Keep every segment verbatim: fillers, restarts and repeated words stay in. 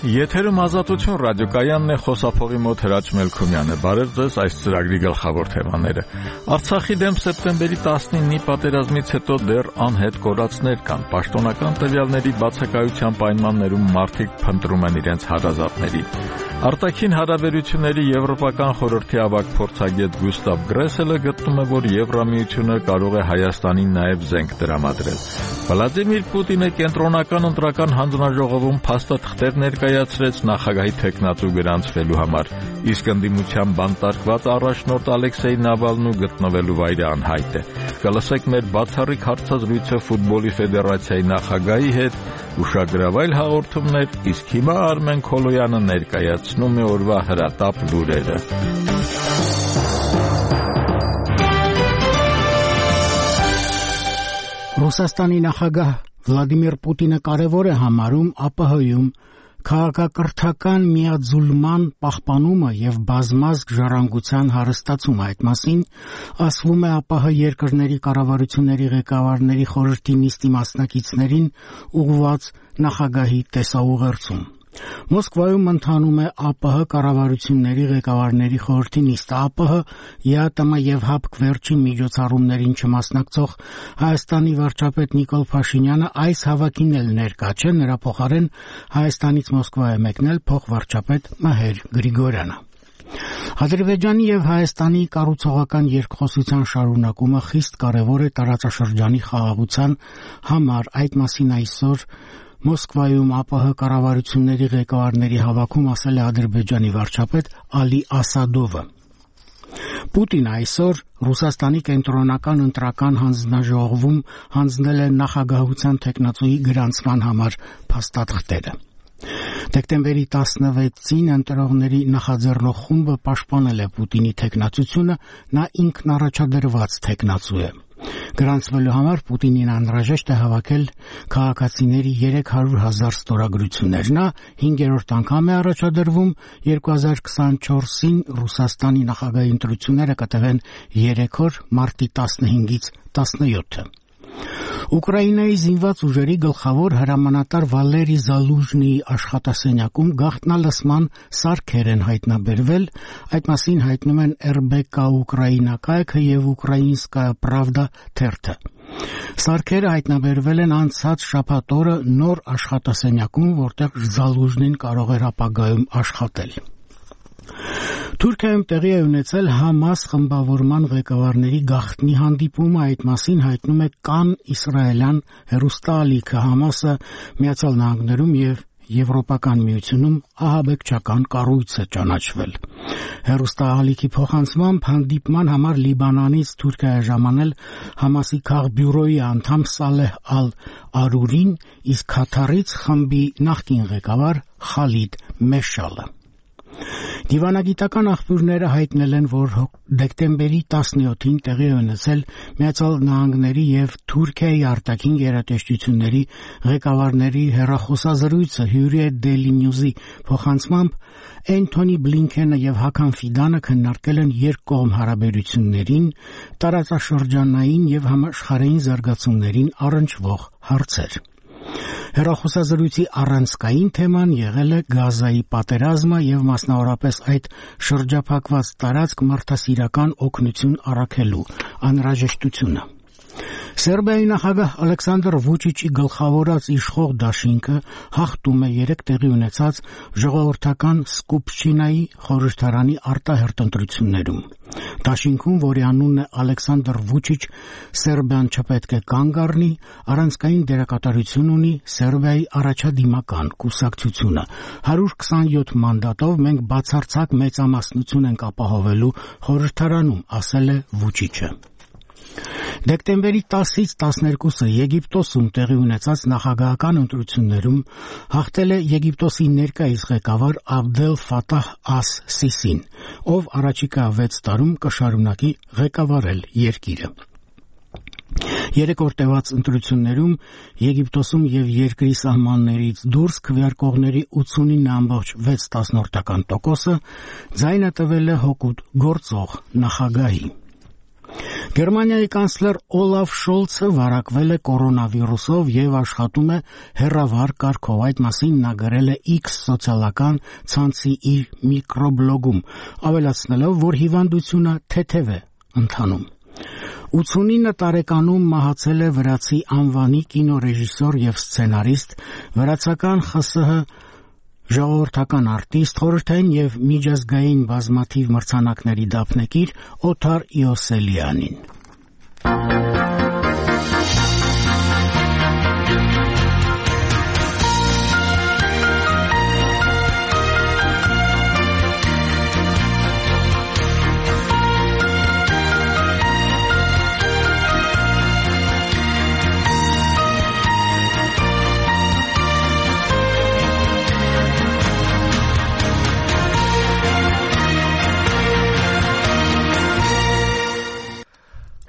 Եթերում Ազատություն ռադիոկայանն է, խոսափողի մոտ Հրաչ Մելքումյանը։ Բարև ձեզ, այս ծրագրի գլխավոր թեմաները։ Արցախի դեմ սեպտեմբերի տասնինի պատերազմից հետո դեռ անհետ կորածներ կան։ Պաշտոնական տվյալների բացակայության պայմաններում մարդիկ փնտրում են իրենց հարազատների։ Արտաքին հարաբերությունների Եվրոպական խորհրդի ավագ փորձագետ Գուստավ Գրեսելը գտնում է, որ Եվրամիությունը կարող է Հայաստանին նաև զենք տրամադրել։ Վլադիմիր Պուտինը կենտրոնական ընտրական հանձնաժողովում փաստաթղթեր ներկայացրեց նախագահի թեկնածու գրանցվելու համար, իսկ ընդդիմության բանտարկված առաջնորդ Ալեքսեյ Նավալնու գտնվելու վայրը անհայտ է։ Կլսեք մեր բացառիկ հարցազրույցը ֆուտբոլի ֆեդերացիայի նախագահի հետ, ուշագրավայր հաղորդումներ, իսկ հիմա Արմեն Քոլոյանը ներկայացնում է օրվա հրատապ լուրերը։ Ռուսաստանի նախագահ Վլադիմիր Պուտինը կարևոր է համարում ԱՊՀ-ում քաղաքակրթական միաձուլման պահպանումը եւ բազմազգ ժառանգության հարստացումը։ Այդ մասին ասվում է ԱՊՀ երկրների կառավարությունների ղեկավարների խորհրդի նիստի մասնակիցներին ուղղված նախագահի տեսաուղերձում։ Մոսկվայում ընթանում է ԱՊՀ կառավարությունների ղեկավարների խորհրդի նիստը։ ԱՊՀ, ԵԱՏՄ եւ ՀԱՊԿ վերջին միջոցառումներին չմասնակցող Հայաստանի վարչապետ Նիկոլ Փաշինյանը այս հավաքին էլ ներկա չէ, նրա փոխարեն Հայաստանից Մոսկվա է մեկնել փոխվարչապետ Մհեր Գրիգորյանը։ Ադրբեջանի եւ Հայաստանի կառուցողական երկխոսության շարունակումը խիստ կարևոր է տարածաշրջանի խաղաղության համար։ Այդ մասին այսօր Մոսկվայում ԱՊՀ կառավարությունների ղեկավարների հավաքում ասել է Ադրբեջանի վարչապետ Ալի Ասադովը։ Պուտինը այսօր Ռուսաստանի կենտրոնական ընտրական հանձնաժողովում հանձնել է նախագահության թեկնածուի գրանցման համար փաստաթղթերը։ Դեկտեմբերի տասնվեցին ընտրողների նախաձեռնող խումբը պաշտպանել է Պուտինի թեկնածությունը, նա ինքն առաջադրված թեկնածու է։ Գրանցվելու համար Պուտինին անհրաժեշտ է հավաքել քաղաքացիների երեք հարյուր հազար ստորագրություններ։ Նա հինգերորդ անգամ է առաջադրվում, երկու հազար քսանչորսին Ռուսաստանի նախագահի ընտրությունները կտևեն երեք օր, մարտի տասնհինգից տասնյոթը։ Ուկրաինայի զինված ուժերի գլխավոր հրամանատար Վալերի Զալուժնիի աշխատասենյակում գաղտնալսման սարքեր են հայտնաբերվել, այդ մասին հայտնում են эр бэ կա Ուկրաինա կայքը եւ Ուկրաինսկայա Պրավդա թերթը։ Սարքերը հայտնաբերվել են անցած շաբաթ օրը նոր աշխատասենյակում, որտեղ Զալուժնին կարող էր ապագայում աշխատել։ Թուրքիայում տեղի է ունեցել ՀԱՄԱՍ խմբավորման ղեկավարների գաղտնի հանդիպումը, այդ մասին հայտնում է Կան իսրայելյան հեռուստաալիքը։ ՀԱՄԱՍ-ը Միացյալ Նահանգներում եւ Եվրոպական միությունում ահաբեկչական կառույց է ճանաչվել։ Հեռուստաալիքի փոխանցմամբ հանդիպման համար Լիբանանից Թուրքիա է ժամանել ՀԱՄԱՍ-ի քաղբյուրոյի անդամ Սալեհ ալ-Արուրին, իսկ Քաթարից խմբի նախկին ղեկավար Խալիդ Մեշալը։ Դիվանագիտական աղբյուրները հայտնել են, որ դեկտեմբերի տասնյոթին տեղի է ունեցել Միացյալ Նահանգների եւ Թուրքիայի արտաքին գերատեսչությունների ղեկավարների հեռախոսազրույցը Hürriyet Daily News-ի փոխանցմամբ Էնթոնի Բլինքենը եւ Հական Ֆիդանը քննարկել են երկկողմ հարաբերություններին, տարածաշրջանային եւ համաշխարհային զարգացումներին առնչվող հարցեր։ Հեռախոսազրույցի առանցքային թեման եղել է Գազայի պատերազմը եւ մասնավորապես այդ շրջափակված տարածք մարդասիրական օգնություն առաքելու անհրաժեշտությունը։ Սերբիայի նախագահ Ալեքսանդր Վուչիչի գլխավորած իշխող դաշինքը հաղթում է երեք տեղի ունեցած ժողովրդական Սկուպշչինայի խորհրդարանի արտահերթ ընտրություններում։ Դաշինքում, որի անունն է Ալեքսանդր Վուչիչ, Սերբիան չպետք է կանգ առնի, առանցքային դերակատարություն ունի Սերբիայի առաջադիմական կուսակցությունը։ հարյուր քսանյոթ մանդատով մենք բացարձակ մեծամասնություն ենք ապահովելու խորհրդարանում, ասել է Վուչիչը։ Դեկտեմբերի տասից տասներկուսը Եգիպտոսում տեղի ունեցած նախագահական ընտրություններում հաղթել է Եգիպտոսի ներկայիս ղեկավար Աբդել Ֆաթահ Աս-Սիսին, ով առաջիկա վեց տարում կշարունակի ղեկավարել երկիրը։ Երեք օր տևած ընտրություններում Եգիպտոսում եւ երկրի սահմաններից դուրս քվեարկողների ութսունինը ամբողջ վեց տասնորդական տոկոսը ձայնը տվել է հօգուտ գործող նախագահի։ Գերմանիայի կանցլեր Օլաֆ Շոլցը վարակվել է կորոնավիրուսով եւ աշխատում է հեռավար կարգով։ Այդ մասին նա գրել է X սոցիալական ցանցի իր միկրոբլոգում, ավելացնելով, որ հիվանդությունը թեթև է ընթանում։ ութսունինը տարեկանում մահացել է վրացի անվանի կինոռեժիսոր եւ սցենարիստ, վրացական ԽՍՀ ժողովրդական արտիստ, խորհրդային եւ միջազգային բազմաթիվ մրցանակների դափնեկիր Օթար Իոսելյանին։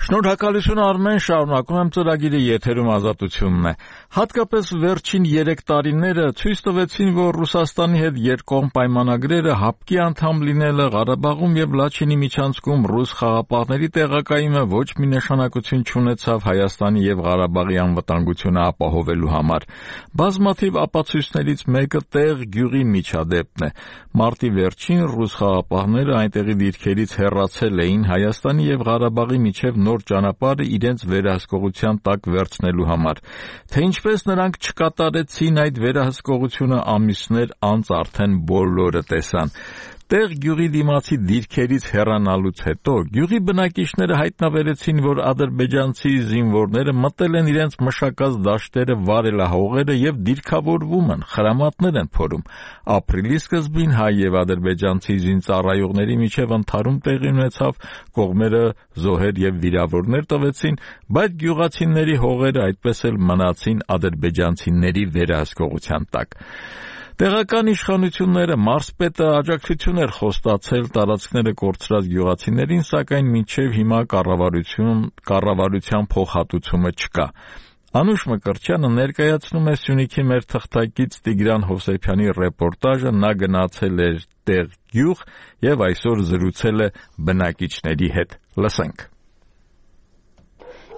Շնորհակալություն Արմեն, շարունակում եմ ծրագիրը, եթերում Ազատությունն է։ Հատկապես վերջին երեք տարիները ցույց տվեցին, որ Ռուսաստանի հետ երկկողմ պայմանագրերը հապկի անդամ լինելը Ղարաբաղում եւ Լաչինի միջանցքում ռուս խաղապահների տեղակայումը ոչ մի նշանակություն չունեցավ Հայաստանի եւ Ղարաբաղի անվտանգությունը ապահովելու համար։ Բազմաթիվ ապացույցներից մեկը տեղ գյուղի միջադեպն է։ Մարտի վերջին ռուս խաղապահները այնտեղի դիրքերից հեռացել էին Հայաստանի եւ Ղարաբաղի միջև նոր ճանապարհը իրենց վերահսկողության տակ վերցնելու համար։ Թե ինչպես նրանք չկատարեցին այդ վերահսկողությունը ամիսներ անց արդեն բոլորը տեսան։ Տեղ գյուղի դիմացի դիրքերից հեռանալուց հետո գյուղի բնակիչները հայտնաբերեցին, որ ադրբեջանցի զինվորները մտել են իրենց մշակած դաշտերը վարելահողերը եւ դիրքավորվում են, խրամատներ են փորում։ Ապրիլի սկզբին հայ եւ ադրբեջանցի զինծառայողների միջև ընդհարում տեղի ունեցավ, կողմերը զոհեր եւ վիրավորներ տվեցին, բայց գյուղացիների հողերը այդպես էլ մնացին ադրբեջանցիների վերահսկողության տակ։ Տեղական իշխանությունները մարզպետը աջակցություն էր խոստացել տարածքները կորցրած գյուղացիներին, սակայն մինչև հիմա կառավարություն կառավարության փոխհատուցումը չկա։ Անուշ Մկրտչյանը ներկայացնում է Սյունիքի մեր թղթակից Տիգրան Հովսեփյանի ռեպորտաժը, նա գնացել էր տեղ գյուղ եւ այսօր զրուցել է բնակիչների հետ։ Լսենք։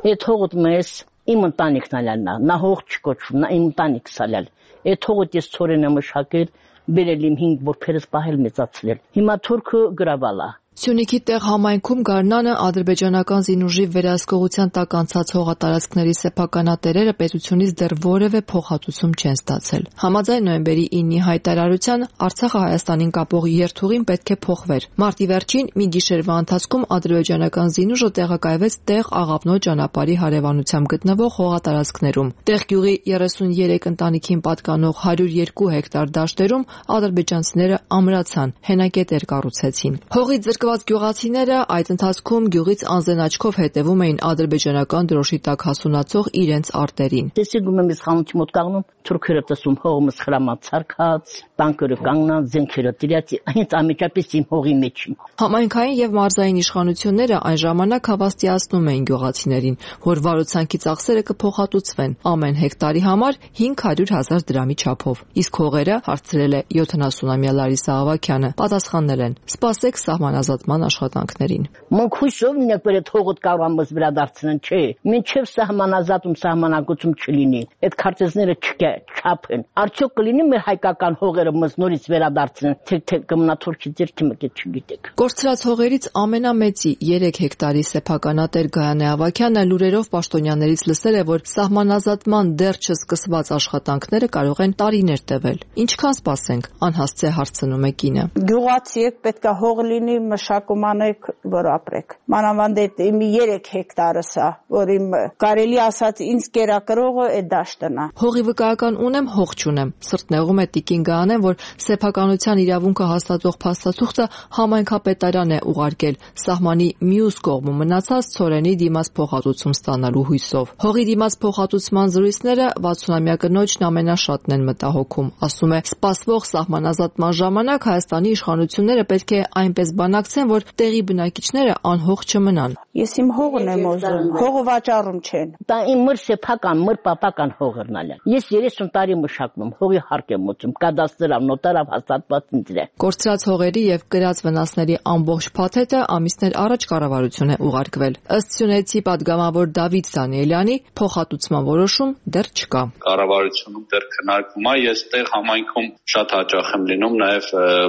Այդ հողդ մեզ իմ ընտանիքն ալանա, նա հող չկոչվում, նա իմ ընտանիքս ալալ։ Այդ հողը ես ծորենը մշակել, բերել իմ հինգ որբերս պահել մեծացրել։ Հիմա թուրքը գրավալա։ Սյունիքի տեղ համայնքում Գարնանը ադրբեջանական զինուժի վերահսկողության տակ անցած հողատարածքների սեփականատերերը պետությունից դեռ որևէ փոխհատուցում չեն ստացել։ Համաձայն նոյեմբերի ինի հայտարարության Արցախը Հայաստանին կապող երթուղին պետք է փոխվեր։ Մարտի վերջին մի գիշերվա ընթացքում ադրբեջանական զինուժը տեղակայվեց տեղ Աղավնոյ ճանապարհի հարևանությամբ գտնվող հողատարածքներում։ Տեղ գյուղի երեսուներեք ընտանիքին պատկանող հարյուր երկու հեկտար դաշտերում ադրբեջանցիները ամրացան, հենակետեր կառուցեցին։ Հողից զրկված գյուղացիները այդ ընթացքում գյուղից անզեն աչքով հետևում էին ադրբեջանական դրոշի տակ հասունացող իրենց արտերին։ Տեսիգում եմ իշխանություն մոտ կանգնում, թուրքերը տեսում հողումս խրամած ցարկած, տանկերը կանգնած, զենքերը դրած, հենց ամիջապես իմ հողի մեջ։ Համայնքային եւ մարզային իշխանությունները այն ժամանակ հավաստիացնում էին գյուղացիներին, որ վարուցանքի ծախսերը կփոխհատուցվեն ամեն հեկտարի համար հինգ հարյուր հազար դրամի չափով։ Իսկ հողերը, հարցրել է յոթանասունամյա Լարիսա Ավագյանը, պատասխանել են. «Սպասեք սահմանազատման աշխատանքներին»։ Մենք հույսով ունենք, որ այդ հողը կարող ամս վերադարձնեն, չէ։ Մինչև սահմանազատում սահմանակություն չլինի, այդ քարտեզները չչափեն։ Արդյոք կլինի մեր հայկական հողերը մեզ նորից վերադարձնեն, թե թե կմնա թուրքի ձեռքի մեջ չգիտեք։ Կորցրած հողերից ամենամեծի երեք հեկտարի սեփականատեր Գայանե Ավագյանը լուրերով պաշտոնյաներից լսել է, որ սահմանազատման դեռ չսկսված աշխատանքները կարող են տարիներ տևել։ Ինչքան սպասենք, անհասցե հարցնում է կինը։ Գյուղացի եք, պետք է հող լինի, մշակում անեք, որ ապրեք։ Մանավանդ իմ երեք հեկտարս է, որ իմ կարելի ասած ինձ կերակրողը այդ դաշտն է։ Հողի վկայական ունեմ, հող չունեմ։ Սրտնեղում է տիկին Գայանեն, որ սեփականության իրավունքը հաստատող փաստաթուղթը համայնքապետարան է ուղարկել սահմանի մյուս կողմում մնացած ցորենի դիմաց փոխհատուցում ստանալու հույսով։ Հողի դիմաց փոխհատուցման զրույցները վաթսունամյա կնոջն ամենաշատն են մտահոգում։ Ասում է, սպասվող սահմանազատման ժամանակ Հայաստանի իշխանությունները պետք է այնպես բանակցեն, ասացեն, որ տեղի բնակիչները անհող չմնան։ Ես իմ հողն եմ ուզում, հողը վաճառում չեն։ Դա իմ մր սեփական, մր պապական հողերն ալը։ Ես երեսուն տարի մշակվում, հողի հարկ եմ ուծում, կադաստրով, նոտարով հաստատված ինձ է։ Կորցրած հողերի եւ կրած վնասների ամբողջ փաթեթը ամիսներ առաջ կառավարություն է ուղարկվել։ Ըստ Սյունեցի падգամավոր Դավիթ Դանիելյանի, փոխհատուցման որոշում դեռ չկա։ Կառավարությունում դեռ քննարկվում է, ես տեղ համայնքում շատ հաճախ եմ լինում, նաեւ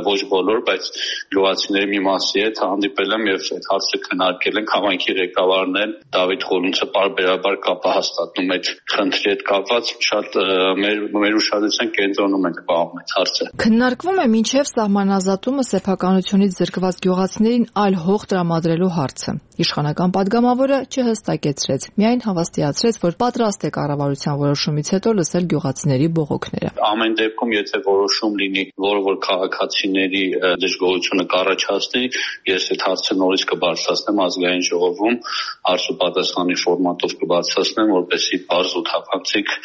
ոչ բոլոր, բայց գյուղացիների մի մասի հետ հանդիպել եմ եւ այդ հարցը քննարկել ենք համայնքի ղեկավարն Դավիթ Խորունցը բարբերաբար կապը հաստատում այդ խնդրի հետ կապված շատ մեր մեր ուշադրության կենտրոնում ենք պահում այդ հարցը։ Քննարկվում է մինչև սահմանազատումը սեփականությունից զրկված գյուղացիներին այլ հող տրամադրելու հարցը։ Իշխանական падգամավորը չհստակեցրեց, միայն հավաստիացրեց, որ պատրաստ է կառավարության որոշումից հետո լսել գյուղացիների բողոքները։ Ամեն դեպքում, եթե որոշում լինի, որը որ քաղաքացիների դժգոհությունը կառաջացնի, ես այդ հարցը նորից կբարձրացնեմ ազգային ժողովում, հարց ու պատասխանի ֆորմատով կբարձրացնեմ, որպեսզի բարձ ու թափանցիկ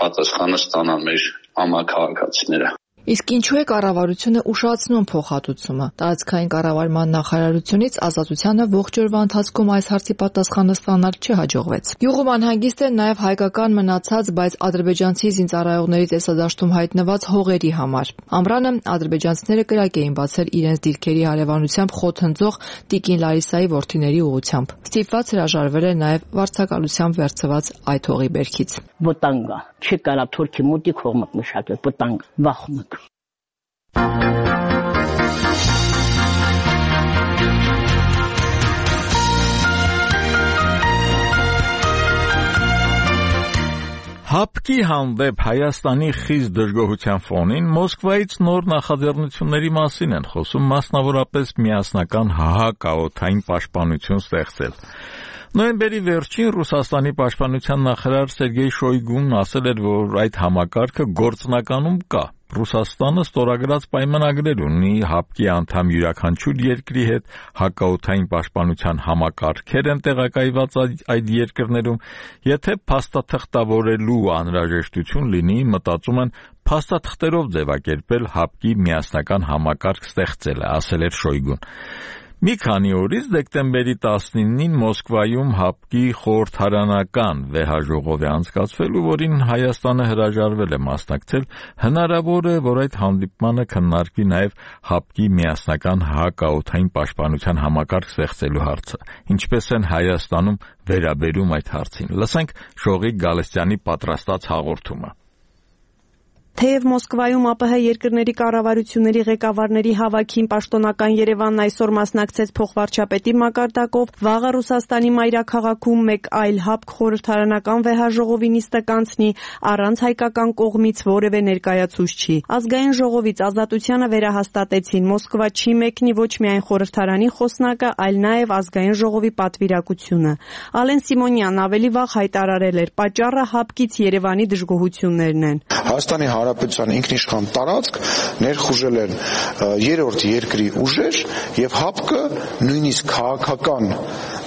պատասխանը ստանան մեր համաքաղաքացիները։ Իսկ ինչու է կառավարությունը ուշացնում փոխհատուցումը։ Տարածքային կառավարման նախարարությունից Ազատությանը ողջ օրվա ընթացքում այս հարցի պատասխանը ստանալ չհաջողվեց։ Գյուղում անհանգիստ են նաև հայկական մնացած, բայց ադրբեջանցի զինծառայողների տեսադաշտում հայտնված հողերի համար։ Ամռանը ադրբեջանցիները կրակ էին բացել իրենց դիրքերի հարևանությամբ խոթընձող Տիկին Լարիսայի որդիների ուղությամբ։ Ստիպված հրաժարվել է նաև վարձակալությամբ վերցված այդ հողի բերքից։ Վտանգա, չի կարա թուրքի մուտիկ հողմակ մշակել, վտանգ, վախում եք։ Հապկի հանդեպ Հայաստանի խիստ դժգոհության ֆոնին Մոսկվայից նոր նախաձեռնությունների մասին են խոսում, մասնավորապես միասնական հահակաօդային պաշտպանություն ստեղծել։ Նոյեմբերի վերջին Ռուսաստանի պաշտպանության նախարար Սերգեյ Շոյգուն ասել էր, որ այդ համակարգը գործնականում կա։ Ռուսաստանը ստորագրած պայմանագրեր ունի հապկի անդամ յուրաքանչյուր երկրի հետ, հակաօդային պաշտպանության համակարգեր են տեղակայված այդ երկրներում, եթե փաստաթղթավորելու անհրաժեշտություն լինի, մտածում են փաստաթղթերով ձևակերպել հապկի միասնական համակարգ ստեղծելը, ասել էր Շոյգուն։ Մի քանի օրից դեկտեմբերի տասնինին Մոսկվայում հապկի խորհրդարանական վեհաժողով է անցկացվել, որին Հայաստանը հրաժարվել է մասնակցել, հնարավոր է, որ այդ հանդիպմանը քննարկվի նաև հապկի միասնական հակաօդային պաշտպանության համակարգ ստեղծելու հարցը։ Ինչպես են Հայաստանում վերաբերում այդ հարցին։ Լսենք Շողիկ Գալստյանի պատրաստած հաղորդումը։ Թեև Մոսկվայում ԱՊՀ երկրների կառավարությունների ղեկավարների հավաքին պաշտոնական Երևանն այսօր մասնակցեց փոխվարչապետի մակարդակով, վաղը Ռուսաստանի մայրաքաղաքում մեկ այլ հապկ խորհրդարանական վեհաժողովի նիստը կանցնի առանց հայկական կողմից որևէ ներկայացուցչի։ Ազգային ժողովից Ազատությանը վերահաստատեցին Մոսկվա չի մեկնի ոչ միայն խորհրդարանի խոսնակը, այլ նաև ազգային ժողովի պատվիրակությունը։ Ալեն Սիմոնյանն ավելի վաղ հայտարարել էր, պատճառը հապկից Երևանի դժգոհություններն են։ Հայաստանի Հանրապետության ինքնիշխան տարածք ներխուժել են երրորդ երկրի ուժեր եւ հապկը նույնիսկ քաղաքական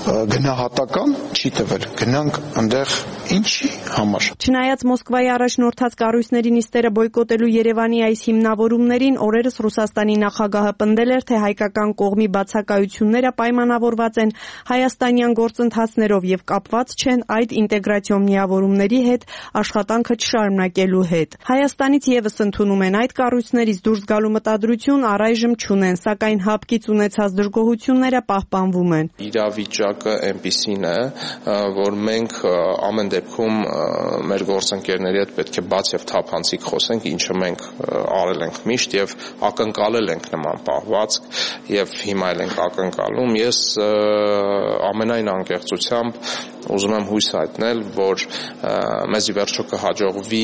գնահատական չի տվել։ Գնանք այնտեղ ինչի համար։ Չնայած Մոսկվայի առաջնորդած կառույցների նիստերը բոյկոտելու Երևանի այս հիմնավորումներին, օրերս Ռուսաստանի նախագահը պնդել էր, թե հայկական կողմի բացակայությունները պայմանավորված են հայաստանյան գործընթացներով եւ կապված չեն այդ ինտեգրացիոն միավորումների հետ աշխատանքը չշարունակելու հետ։ Հայաստանից եւս ընդունում են այդ կառույցներից դուրս գալու մտադրություն առայժմ չունեն, սակայն հապկից ունեցած դժգոհությունները պահպանվում են։ Իրավիճակը այնպիսին է, որ մենք ամեն դեպքում մեր գործընկերների հետ պետք է բաց եւ թափանցիկ խոսենք, ինչը մենք արել ենք միշտ եւ ակնկալել ենք նման պահվածք եւ հիմա էլ ենք ակնկալում։ Ես ամենայն անկեղծությամբ ուզում եմ հույս հայտնել, որ մեզ ի վերջո կհաջողվի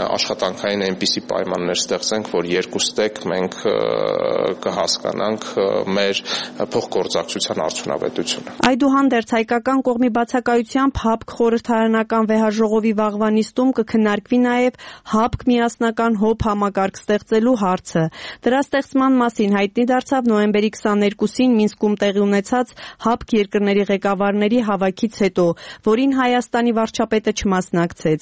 աշխատանքային այնպիսի պայմաններ ստեղծենք, որ երկուստեք մենք կհասկանանք մեր փոխգործակցության արդյունավետությունը։ Այդուհանդերձ հայկական կողմի բացակայությամբ հապկ խորհրդարանական վեհաժողովի վաղվա նիստում կքննարկվի նաև հապկ միասնական հոբ համակարգ ստեղծելու հարցը։ Դրա ստեղծման մասին հայտնի դարձավ նոյեմբերի քսաներկուսին Մինսկում տեղի ունեցած հապկ երկրների ղեկավարների հավաքից հետո հետո, որին Հայաստանի վարչապետը չմասնակցեց։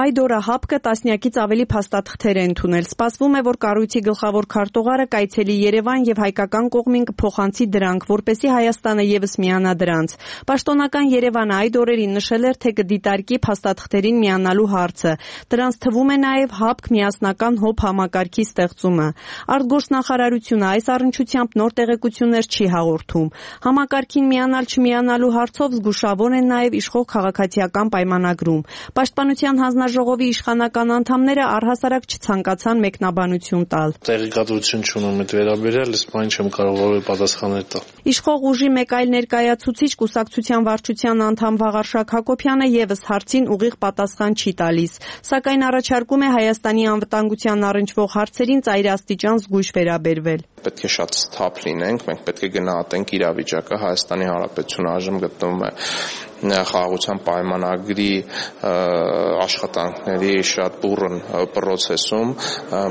Այդ օրը ՀԱՊԿ-ը տասնյակից ավելի փաստաթղթեր է ընդունել։ Սպասվում է, որ կառույցի գլխավոր քարտուղարը կայցելի Երևան եւ հայկական կողմին կփոխանցի դրանք, որպեսզի Հայաստանը եւս միանա դրանց։ Պաշտոնական Երևանը այդ օրերին նշել էր, թե կդիտարկի փաստաթղթերին միանալու հարցը։ Դրանց թվում է նաեւ ՀԱՊԿ միասնական ՀՈՊ համակարգի ստեղծումը։ Արտգործնախարարությունը այս առնչությամբ նոր տեղեկություններ չի հաղորդում։ Համակարգին միանալ չմիանալու հարցով զգուշավոր են նաեւ իշխող քաղաքացիական պայմանագրում։ Պաշտպանության հանձնաժողովի իշխանական անդամները առհասարակ չցանկացան մեկնաբանություն տալ։ Տեղեկատվություն չունեմ այդ վերաբերյալ, իսկ այն չեմ կարող որևէ պատասխաններ տալ։ Իշխող ուժի մեկ այլ ներկայացուցիչ կուսակցության վարչության անդամ Վաղարշակ Հակոբյանը եւս հարցին ուղիղ պատասխան չի տալիս, սակայն առաջարկում է Հայաստանի անվտանգության առնչվող հարցերին ծայրաստիճան զգույշ վերաբերվել։ Պետք է շատ սթափ լինենք, մենք պետք է գնահատենք իրավիճակը։ Հայաստանի Հանրապետությունը այժմ գտնվում է խաղաղության պայմանագրի աշխատանքների շատ բուռն process-ում,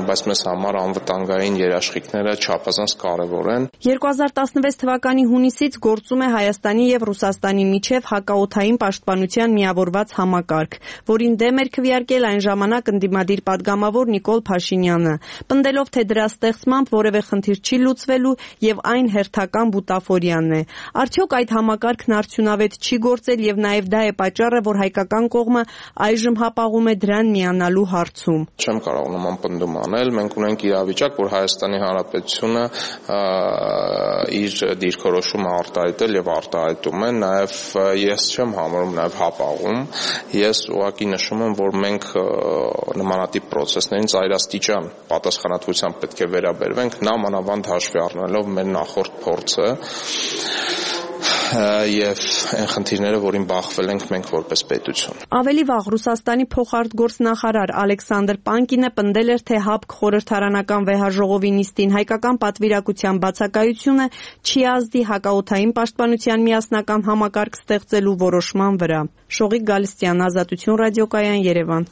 բայց մեզ համար անվտանգային երաշխիքները չափազանց կարևոր են։ երկու հազար տասնվեց թվականի հունիսից գործում է Հայաստանի եւ Ռուսաստանի միջև հակաօդային պաշտպանության միավորված համակարգ, որին դեմ էր քվեարկել այն ժամանակ ընդդիմադիր падգամավոր Նիկոլ Փաշինյանը, պնդելով, թե դրա ստեղծմամբ որևէ խնդիր չի լուծվելու եւ այն հերթական բուտաֆորիան է։ Արդյոք այդ համակարգն արդյունավետ չի գործել եւ նաեւ դա է պատճառը, որ հայկական կողմը այժմ հապաղում է դրան միանալու հարցում։ Չեմ կարող նման պնդում անել, մենք ունենք իրավիճակ, որ Հայաստանի Հանրապետությունը իր դիրքորոշումը արտահայտել եւ արտահայտում է, նաեւ ես չեմ համարում նաեւ հապաղում, ես ուղղակի նշում եմ, որ մենք նմանատիպ process-ներին ծայրաստիճան պատասխանատվությամբ պետք է վերաբերվենք, նամանավանդ հաշվի առնելով մեր նախորդ փորձը եւ այն խնդիրները, որին բախվել ենք մենք որպես պետություն։ Ավելի վաղ Ռուսաստանի փոխարտգործնախարար Ալեքսանդր Պանկինը պնդել էր, թե ՀԱՊԿ խորհրդարանական վեհաժողովի նիստին հայկական պատվիրակության բացակայությունը չի ազդի հակաօդային պաշտպանության միասնական համակարգ ստեղծելու որոշման վրա։ Շողիկ Գալստյան, Ազատություն ռադիոկայան, Երևան։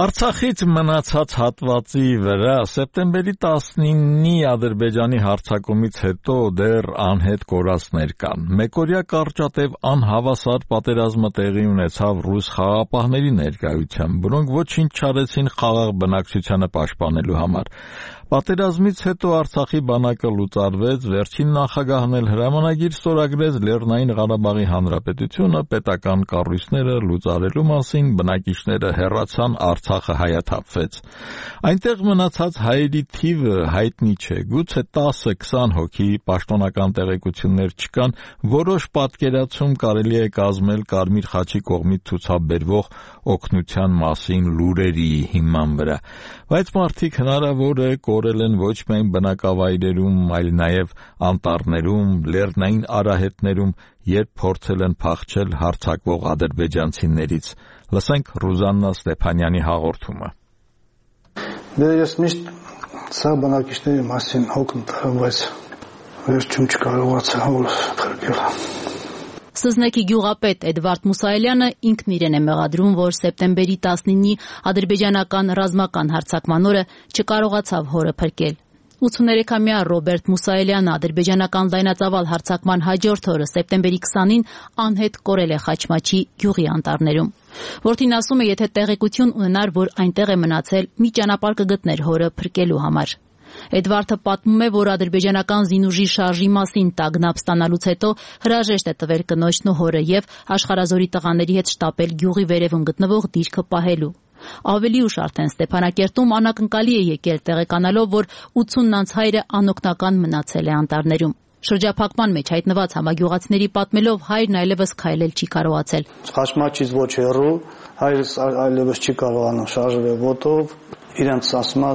Արցախից մնացած հատվածի վրա սեպտեմբերի տասնինի Ադրբեջանի հարձակումից հետո դեռ անհետ կորածներ կան։ Մեկօրյա կարճատև անհավասար պատերազմը տեղի ունեցավ ռուս խաղաղապահների ներկայությամբ, որոնք ոչինչ չարեցին խաղաղ բնակչությանը պաշտպանելու համար։ Պատերազմից հետո Արցախի բանակը լուծարվեց, վերջին նախագահն էլ հրամանագիր ստորագրեց Լեռնային Ղարաբաղի Հանրապետությունը պետական կառույցները լուծարելու մասին, բնակիչները հեռացան, Արցախը հայաթափվեց։ Այնտեղ մնացած հայերի թիվը հայտնի չէ, գուցե տասը քսան հոգի, պաշտոնական տեղեկություններ չկան, որոշ պատկերացում կարելի է կազմել Կարմիր խաչի կողմից ցուցաբերվող օգնության մասին լուրերի հիման վրա, բայց մարդիկ հնարավոր է կորել են ոչ միայն բնակավայրերում, այլ նաև անտառներում, լեռնային արահետներում, երբ փորձել են փախչել հարձակվող ադրբեջանցիներից։ Լսենք Ռուզաննա Ստեփանյանի հաղորդումը։ Դե ես միշտ սա բնակիչների մասին հոգում տա, բայց վերջում չկարողացա որ փրկել։ Սզնեկի գյուղապետ Էդվարդ Մուսայելյանը ինքն իրեն է մեղադրում, որ սեպտեմբերի տասնինի ադրբեջանական ռազմական հարձակման օրը չկարողացավ հորը փրկել։ ութսուներեքամյա Ռոբերտ Մուսայելյանը ադրբեջանական լայնածավալ հարձակման հաջորդ օրը սեպտեմբերի քսանին անհետ կորել է Խաչմաչի գյուղի անտառներում։ Որդին ասում է, եթե տեղեկություն ունենար, որ այնտեղ է մնացել, մի ճանապարհ կգտներ հորը փրկելու համար։ Էդվարդը պատմում է, որ ադրբեջանական զինուժի շարժի մասին տագնապ ստանալուց հետո հրաժեշտ է տվել կնոջն ու հորը եւ Աշխարհազորի տղաների հետ շտապել գյուղի վերևում գտնվող դիրքը պահելու։ Ավելի ուշ արդեն Ստեփանակերտում անակնկալի է եկել տեղեկանալով, որ ութսուննանց հայրը անօգնական մնացել է անտառներում։ Շրջափակման մեջ հայտնված համագյուղացիների պատմելով հայրն այլևս քայլել չի կարողացել։ Խաչմաչից ոչ հեռու, հայրս այլևս չի կարողանում շարժվել ոտով, իրենց ասում է,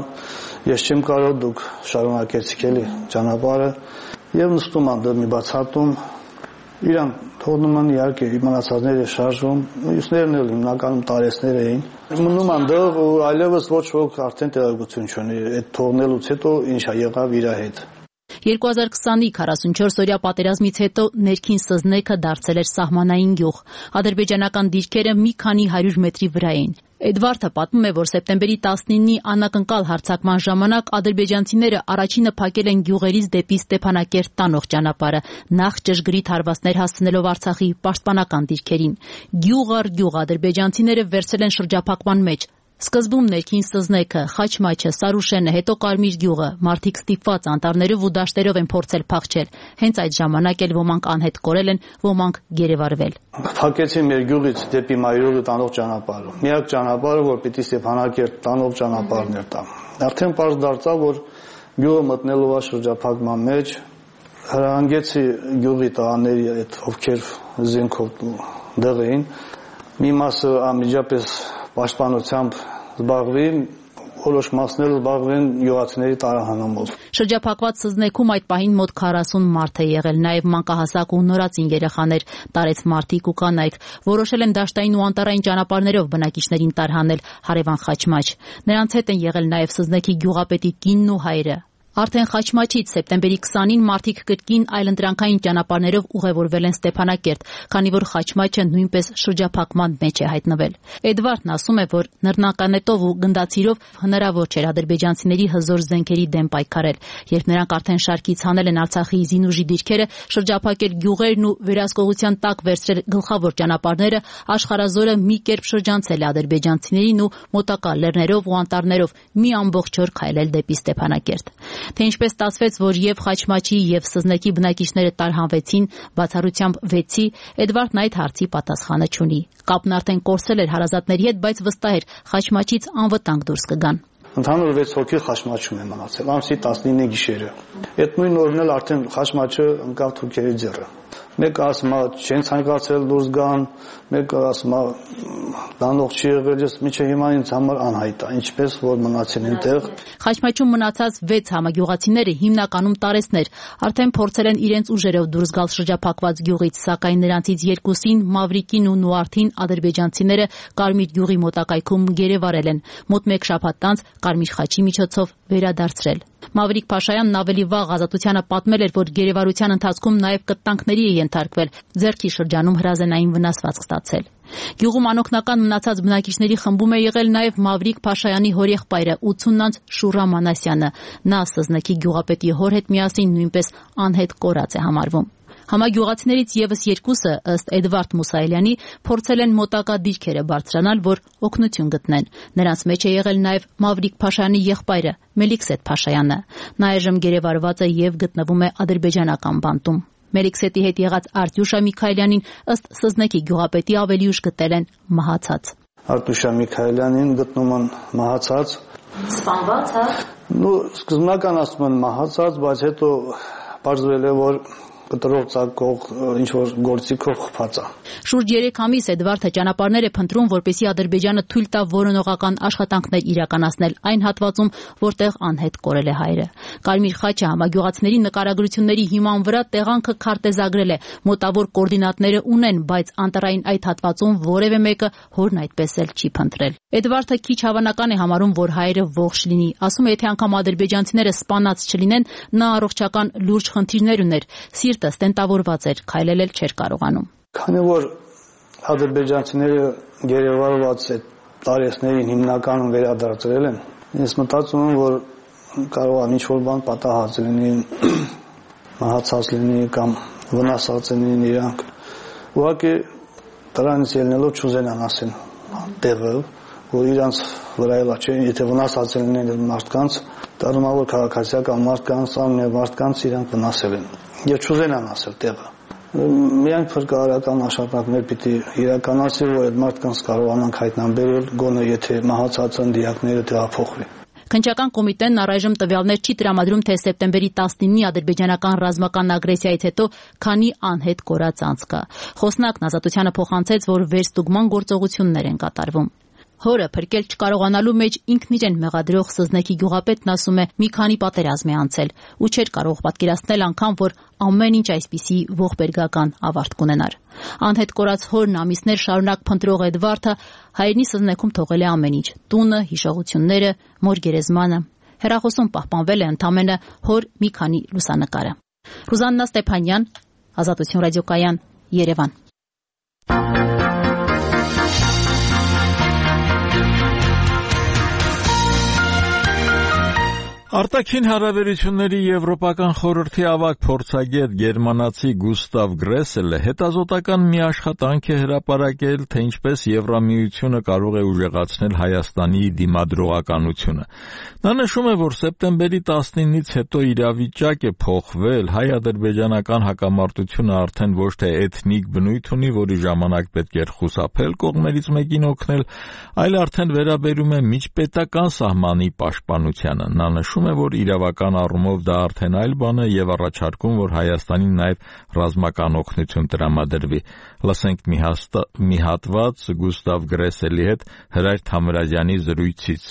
ես չեմ կարող, դուք շարունակեցիք էլի ճանապարհը եւ նստում ան դրմի բացատում, իրան թողնում են իհարկե իմանացածները շարժվում, մյուսներն էլ հիմնականում տարեցներ էին։ Մնում ան դեռ ու այլևս ոչ ոք արդեն տեղեկություն չունի, այդ թողնելուց հետո ինչա եղավ իր հետ։ երկու հազար քսանի քառասունչորս-օրյա պատերազմից հետո ներքին Սզնեքը դարձել էր սահմանային գյուղ։ Ադրբեջանական դիրքերը մի քանի հարյուր մետրի վրա էին։ Էդվարդը պատմում է, որ սեպտեմբերի տասնինի անակնկալ հարձակման ժամանակ ադրբեջանցիները առաջինը փակել են գյուղերից դեպի Ստեփանակերտ տանող ճանապարհը, նախ ճշգրիտ հարվածներ հասցնելով Արցախի պաշտպանական դիրքերին։ Գյուղ առ գյուղ ադրբեջանցիները վերցել են շրջափակման մեջ։ Սկզբում ներքին Սզնեքը, Խաչմաչը, Սարուշենը, հետո Կարմիր գյուղը, մարդիկ ստիպված անտառներով ու դաշտերով են փորձել փախչել։ Հենց այդ ժամանակ էլ ոմանք անհետ կորել են, ոմանք գերեվարվել։ Փակեցին մեր գյուղից դեպի Մայրուղը տանող ճանապարհը։ Միակ ճանապարհը, որ պիտի Ստեփանակերտ տանող ճանապարհն էր տա։ Արդեն պարզ դարձավ, որ գյուղը մտնելով է շրջափակման մեջ, հրանգեցի գյուղի տղաների այդ ովքեր զենքով դեղ էին, մի մասը անմիջապես պաշտպանությամբ զբաղվի, որոշ մասներ զբաղվեն յուղացիների տարահանումով։ Շրջափակված Սզնեքում այդ պահին մոտ քառասուն մարդ է եղել, նաև մանկահասակ ու նորածին երեխաներ, տարեց մարդիկ ու կանայք։ Որոշել են դաշտային ու անտառային ճանապարհներով բնակիչներին տարհանել հարևան Խաչմաչ։ Նրանց հետ են եղել նաև Սզնեքի գյուղապետի կինն ու հայրը։ Արդեն Խաչմաչից սեպտեմբերի քսանին մարդիկ կրկին այլընտրանքային ճանապարհներով ուղևորվել են Ստեփանակերտ, քանի որ Խաչմաչը նույնպես շրջափակման մեջ է հայտնվել։ Էդվարդն ասում է, որ նռնականետով ու գնդացիրով հնարավոր չէր ադրբեջանցիների հզոր զենքերի դեմ պայքարել, երբ նրանք արդեն շարքից հանել են Արցախի զինուժի դիրքերը, շրջափակել գյուղերն ու վերահսկողության տակ վերցրել գլխավոր ճանապարհները, աշխարհազորը մի կերպ շրջանցել է ադրբեջանցիներին ու մոտակա լեռներով ու անտառներով մի ամբողջ օր քայլել դեպի Ստեփանակերտ։ Թե ինչպես ստացվեց, որ եւ Խաչմաչի եւ Սզնեկի բնակիչները տարհանվեցին, բացառությամբ վեցի, Էդվարդն այդ հարցի պատասխանը չունի։ Կապն արդեն կորսել էր հարազատների հետ, բայց վստահ էր Խաչմաչից անվտանգ դուրս կգան։ Ընդհանուր վեց հոգի Խաչմաչում է մնացել, ամսի տասնինը գիշերը։ Այդ նույն օրն էլ արդեն Խաչմաչը ընկավ թուրքերի ձեռը։ Մեկը ասում է չեն ցանկացել դուրս գան, մեկը ասում է դանող չի եղել, ես միջը հիմա ինձ համար անհայտ է, ինչպես որ մնացին այնտեղ։ Խաչմաչում մնացած վեց համագյուղացիները հիմնականում տարեցներ, արդեն փորձել են իրենց ուժերով դուրս գալ շրջափակված գյուղից, սակայն նրանցից երկուսին, Մավրիկին ու Նուարդին, ադրբեջանցիները Կարմիր գյուղի մոտակայքում գերեվարել են, մոտ մեկ շաբաթ անց Կարմիր խաչի միջոցով վերադարձրել։ Մավրիկ Փաշայանն ավելի վաղ Ազատությանը պատմել էր, որ գերեվարության ընթացքում նաև կտանքների է ենթարկվել, ձեռքի շրջանում հրազենային վնասվածք ստացել։ Գյուղում անօգնական մնացած բնակիչների խմբում է եղել նաև Մավրիկ Փաշայանի հորեղբայրը ութսունանց Շուրա Մանասյանը։ Նա Սզնեկի գյուղապետի հոր հետ միասին նույնպես անհետ կորած է համարվում։ Համագյուղացիներից եւս երկուսը, ըստ Էդվարդ Մուսայելյանի, փորձել են մոտակա դիրքերը բարձրանալ, որ օգնություն գտնեն։ Նրանց մեջ է եղել նաև Մավրիկ Փաշայանի եղբայրը Մելիքսեթ Փաշայանը։ Նա այժմ գերեվարված է եւ գտնվում է ադրբեջանական բանտում։ Մելիքսեթի հետ եղած Արտյուշա Միքայելյանին ըստ Սզնեկի գյուղապետի ավելի ուշ գտել են մահացած։ Արտյուշա Միքայելյանին գտնում են մահացած։ Սպանված, հա։ Ну, սկզբնական ասում են մահացած, բայց հետո բարձվել է, որ կտրող ցակող ինչ որ գործիքով խփած է։ Շուրջ երեք ամիս Էդվարդը ճանապարհներ է փնտրում, որպեսզի Ադրբեջանը թույլ տա որոնողական աշխատանքներ իրականացնել այն հատվածում, որտեղ անհետ կորել է հայրը։ Կարմիր խաչը համագյուղացիների նկարագրությունների հիման վրա տեղանքը քարտեզագրել է, մոտավոր կոորդինատները ունեն, բայց անտառային այդ հատվածում որևէ մեկը հորն այդպես էլ չի փնտրել։ Էդվարդը քիչ հավանական է համարում, որ հայրը ողջ լինի։ Ասում է, եթե անգամ ադրբեջանցիները սպանած չլինեն, նա առողջական լուրջ խնդիրներ ուներ։ Սիրտը ստենտավորված էր, քայլել էլ չէր կարողանում։ Քանի որ ադրբեջանցիները գերեվարված այդ տարեցներին հիմնականում վերադարձրել են, ես մտածում եմ, որ կարող է ինչ-որ բան պատահած լինի, մահացած լինի կամ վնասած լինեն իրանք։ Ուղղակի դրանից ելնելով չուզենան ասեն տեղը, որ իրանց վրա էլա չէ, եթե վնասած լինեն մարդկանց, դառնալով քաղաքացիական մարդկանց, ամեն մարդկանց իրանք վնասել են։ Եվ չուզենան ասել տեղը։ Միայն փրկարարական աշխատանքներ պիտի իրականացվի, որ այդ մարդկանց կարողանանք հայտնաբերել, գոնե եթե մահացած դիակները տեղափոխվի։ Քննչական կոմիտեն առայժմ տվյալներ չի տրամադրում, թե սեպտեմբերի տասնինի ադրբեջանական ռազմական ագրեսիայից հետո քանի անհետ կորած անձ կա։ Խոսնակն Ազատությանը փոխանցեց, որ վերստուգման գործողություններ են կատարվում։ Հորը փրկել չկարողանալու մեջ ինքն իրեն մեղադրող Սզնեկի գյուղապետն ասում է, մի քանի պատերազմ է անցել ու չէր կարող պատկերացնել անգամ, որ ամեն ինչ այսպիսի ողբերգական ավարտ կունենար։ Անհետ կորած հորն ամիսներ շարունակ փնտրող Էդվարդը հայրենի Սզնեքում թողել է ամեն ինչ՝ տունը, հիշողությունները, մոր գերեզմանը։ Հեռախոսում պահպանվել է ընդամենը հոր մի քանի լուսանկարը։ Ռուզաննա Ստեփանյան, Ազատություն ռադիոկայան, Երևան։ Արտաքին հարաբերությունների Եվրոպական խորհրդի ավագ փորձագետ գերմանացի Գուստավ Գրեսելը հետազոտական մի աշխատանք է հրապարակել, թե ինչպես Եվրամիությունը կարող է ուժեղացնել Հայաստանի դիմադրողականությունը։ Նա նշում է, որ սեպտեմբերի տասնինից հետո իրավիճակ է փոխվել, հայ-ադրբեջանական հակամարտությունը արդեն ոչ թե էթնիկ բնույթ ունի, որի ժամանակ պետք էր խուսափել կողմերից մեկին օգնել, այլ արդեն վերաբերում է միջպետական սահմանի պաշտպանությանը։ Նա նշում է, որ իրավական առումով դա արդեն այլ բան է եւ առաջարկում, որ Հայաստանին նաեւ ռազմական օգնություն տրամադրվի։ Լսենք մի, հաստա, մի հատված Գուստավ Գրեսելի հետ Հրայր Թամրազյանի զրույցից։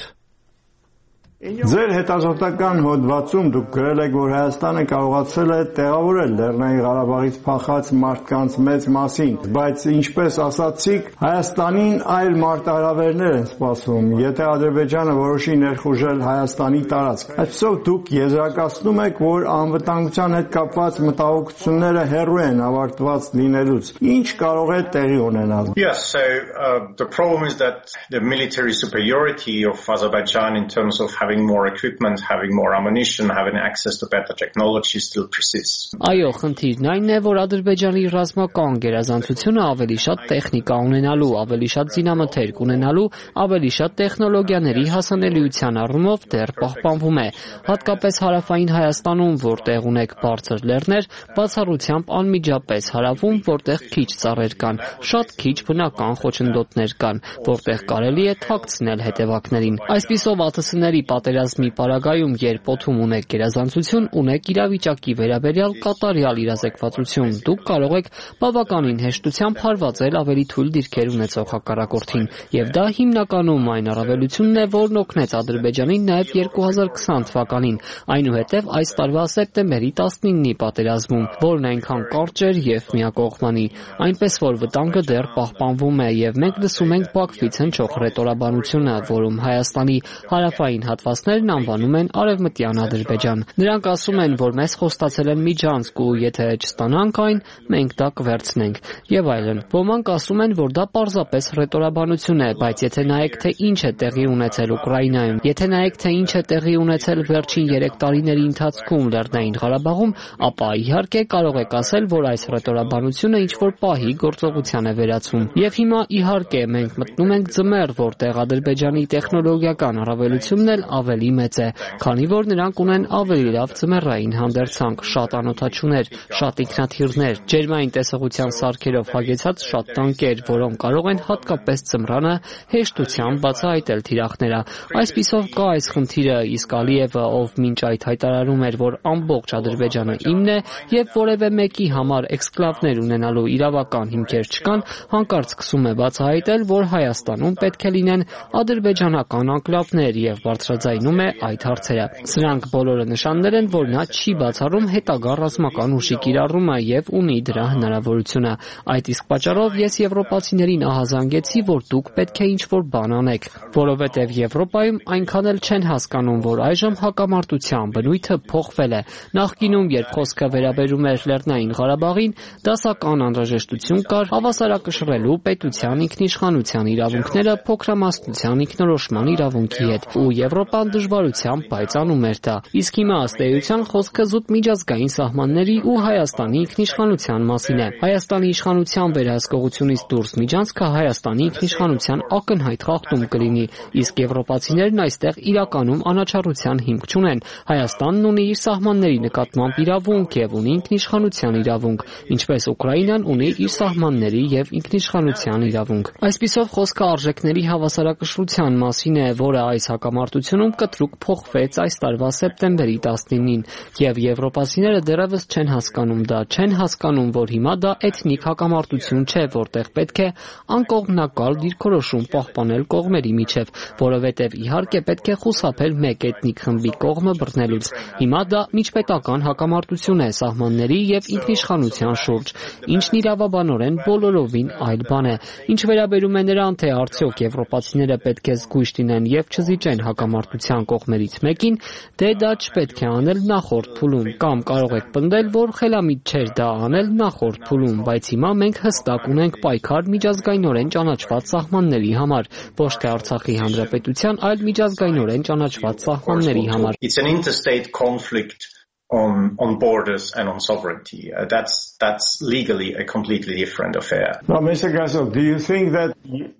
Ձեր հետազոտական հոդվածում դուք գրել եք, որ Հայաստանը կարողացել է տեղավորել Լեռնային Ղարաբաղից փախած մարդկանց մեծ մասին, բայց ինչպես ասացիք, Հայաստանին այլ մարտահրավերներ են սպասում, եթե Ադրբեջանը որոշի ներխուժել Հայաստանի տարածք։ Այսպիսով դուք եզրակացնում եք, որ անվտանգության հետ կապված մտահոգությունները հեռու են ավարտված լինելուց։ Ինչ կարող է տեղի ունենալ։ Yes, so uh, the problem is that the military superiority of Azerbaijan in terms of having more equipment, having more ammunition, having access to better technology still persists. Այո, խնդիրն այն է, որ Ադրբեջանի ռազմական գերազանցությունը ավելի շատ տեխնիկա ունենալու, ավելի շատ զինամթերք ունենալու, ավելի շատ տեխնոլոգիաների հասանելիության առումով դեռ պահպանվում է։ Հատկապես հարավային Հայաստանում, որտեղ ունեք բարձր լեռներ, բացառությամբ անմիջապես հարավում, որտեղ քիչ ծառեր կան, շատ քիչ բնական խոչընդոտներ կան, որտեղ կարելի է թաքցնել հետևակներին։ Այսպիսով ԱԹՍ-ների պատերազմի պարագայում, երբ օդում ունեք գերազանցություն, ունեք իրավիճակի վերաբերյալ կատարյալ իրազեկվածություն, դուք կարող եք բավականին հեշտությամբ հարվածել ավելի թույլ դիրքեր ունեցող հակառակորդին, եւ դա հիմնականում այն առավելությունն է, որն օգնեց Ադրբեջանին նաեւ երկու հազար քսան թվականին, այնուհետեւ այս տարվա սեպտեմբերի տասնինի պատերազմում, որն այնքան կարճ էր եւ միակողմանի, այնպես որ վտանգը դեռ պահպանվում է եւ մենք լսում ենք Բաքվից հնչող ռետորաբանությունը, որում Հայաստանի հարավային հատվածներն անվանում են Արևմտյան Ադրբեջան։ Նրանք ասում են, որ մեզ խոստացել են միջանցք ու եթե չստանանք այն, մենք դա կվերցնենք եւ այլն։ Ոմանք ասում են, որ դա պարզապես ռետորաբանություն է, բայց եթե նայեք, թե ինչ է տեղի ունեցել Ուկրաինայում, եթե նայեք, թե ինչ է տեղի ունեցել վերջին երեք տարիների ընթացքում Լեռնային Ղարաբաղում, ապա իհարկե կարող եք ասել, որ այս ռետորաբանությունը ինչ որ պահի գործողության է վերածվում։ Եվ հիմա իհարկե մենք մտնում ենք ձմեռ, որտեղ Ադրբեջանի տեխնոլոգիական առավելությունն էլ ավելի մեծ է, քանի որ նրանք ունեն ավելի լավ ձմեռային հանդերձանք, շատ անօդաչուներ, շատ ինքնաթիռներ, ջերմային տեսողության սարքերով հագեցած շատ տանկեր, որոնք կարող են հատկապես ձմռանը հեշտությամբ բացահայտել թիրախները։ Այսպիսով կա այս խնդիրը, իսկ Ալիևը, ով մինչ այդ հայտարարում էր, որ ամբողջ Ադրբեջանը իմն է եւ որևէ մեկի համար էքսկլավներ ունենալու իրավական հիմքեր չկան, հանկարծ սկսում է բացահայտել, որ Հայաստանում պետք է լինեն ադրբեջանական անկլավներ եւ բարձրաձայնում է այդ հարցերը։ Սրանք բոլորը նշաններ են, որ նա չի բացառում հետագա ռազմական ուժի կիրառումը եւ ունի դրա հնարավորությունը։ Այդ իսկ պատճառով ես եվրոպացիներին ահազանգեցի, որ դուք պետք է ինչ-որ բան անեք, որովհետեւ Եվրոպայում այնքան էլ չեն հասկանում, որ այժմ հակամարտության բնույթը փոխվել է։ Նախկինում, երբ խոսքը վերաբերում էր Լեռնային Ղարաբաղին, դասական անհրաժեշտություն կար հավասարակշռելու պետության ինքնիշխանության իրավունքները փոքրամասնության ինքնորոշման իրավունքի հետ, ու Եվրոպան դժվարությամբ պայծանում էր դա։ Իսկ հիմա ըստ էության խոսքը զուտ միջազգային սահմանների ու Հայաստանի ինքնիշխանության մասին է։ Հայաստանի իշխանության վերահսկողությունից դուրս միջանցքը Հայաստանի ինքնիշխանության ակնհայտ խախտում կլինի, իսկ եվրոպացիներն այստեղ իրականում անաչառության հիմք չունեն։ Հայաստանն ունի իր սահմանների նկատմամբ իրավունք եւ ունի ինքնիշխանության իրավունք, ինչպես Ուկրաինան ունի իր սահմանների եւ ինքնիշխանության իրավունք։ Այսպիսով խոսքը արժեքների հավասարակշռության մասին է, որը այս հակամարտությունում կտրուկ փոխվեց այս տարվա սեպտեմբերի տասնինին, եւ եվրոպացիները դեռևս չեն հասկանում դա, չեն հասկանում, որ հիմա դա էթնիկ հակամարտություն չէ, որտեղ պետք է անկողմնակալ դիրքորոշում պահպանել կողմերի միջև, որովհետեւ իհարկե պետք է խուսափել մեկ էթնիկ խմբի կողմը բռնելուց։ Հիմա դա միջպետական հակամարտություն է սահմանների եւ ինքնիշխանության շուրջ, ինչն իրավաբանորեն բոլորովին այլ բան է։ Ինչ վերաբերում է նրան, թե արդյոք եվրոպացիները պետք է զգույշ լինեն եւ չզիջեն հակամարտության կազմակերպության կողմերից մեկին, դե դա չպետք է անել նախորդ փուլում, կամ կարող եք պնդել, որ խելամիտ չէր դա անել նախորդ փուլում, բայց հիմա մենք հստակ ունենք պայքար միջազգայինորեն ճանաչված սահմանների համար, ոչ թե Արցախի հանրապետության, այլ միջազգայինորեն ճանաչված սահմանների համար։ It's an interstate conflict on on borders and on sovereignty. Uh, that's that's legally a completely different affair. Now, Mister Gasol, do you think that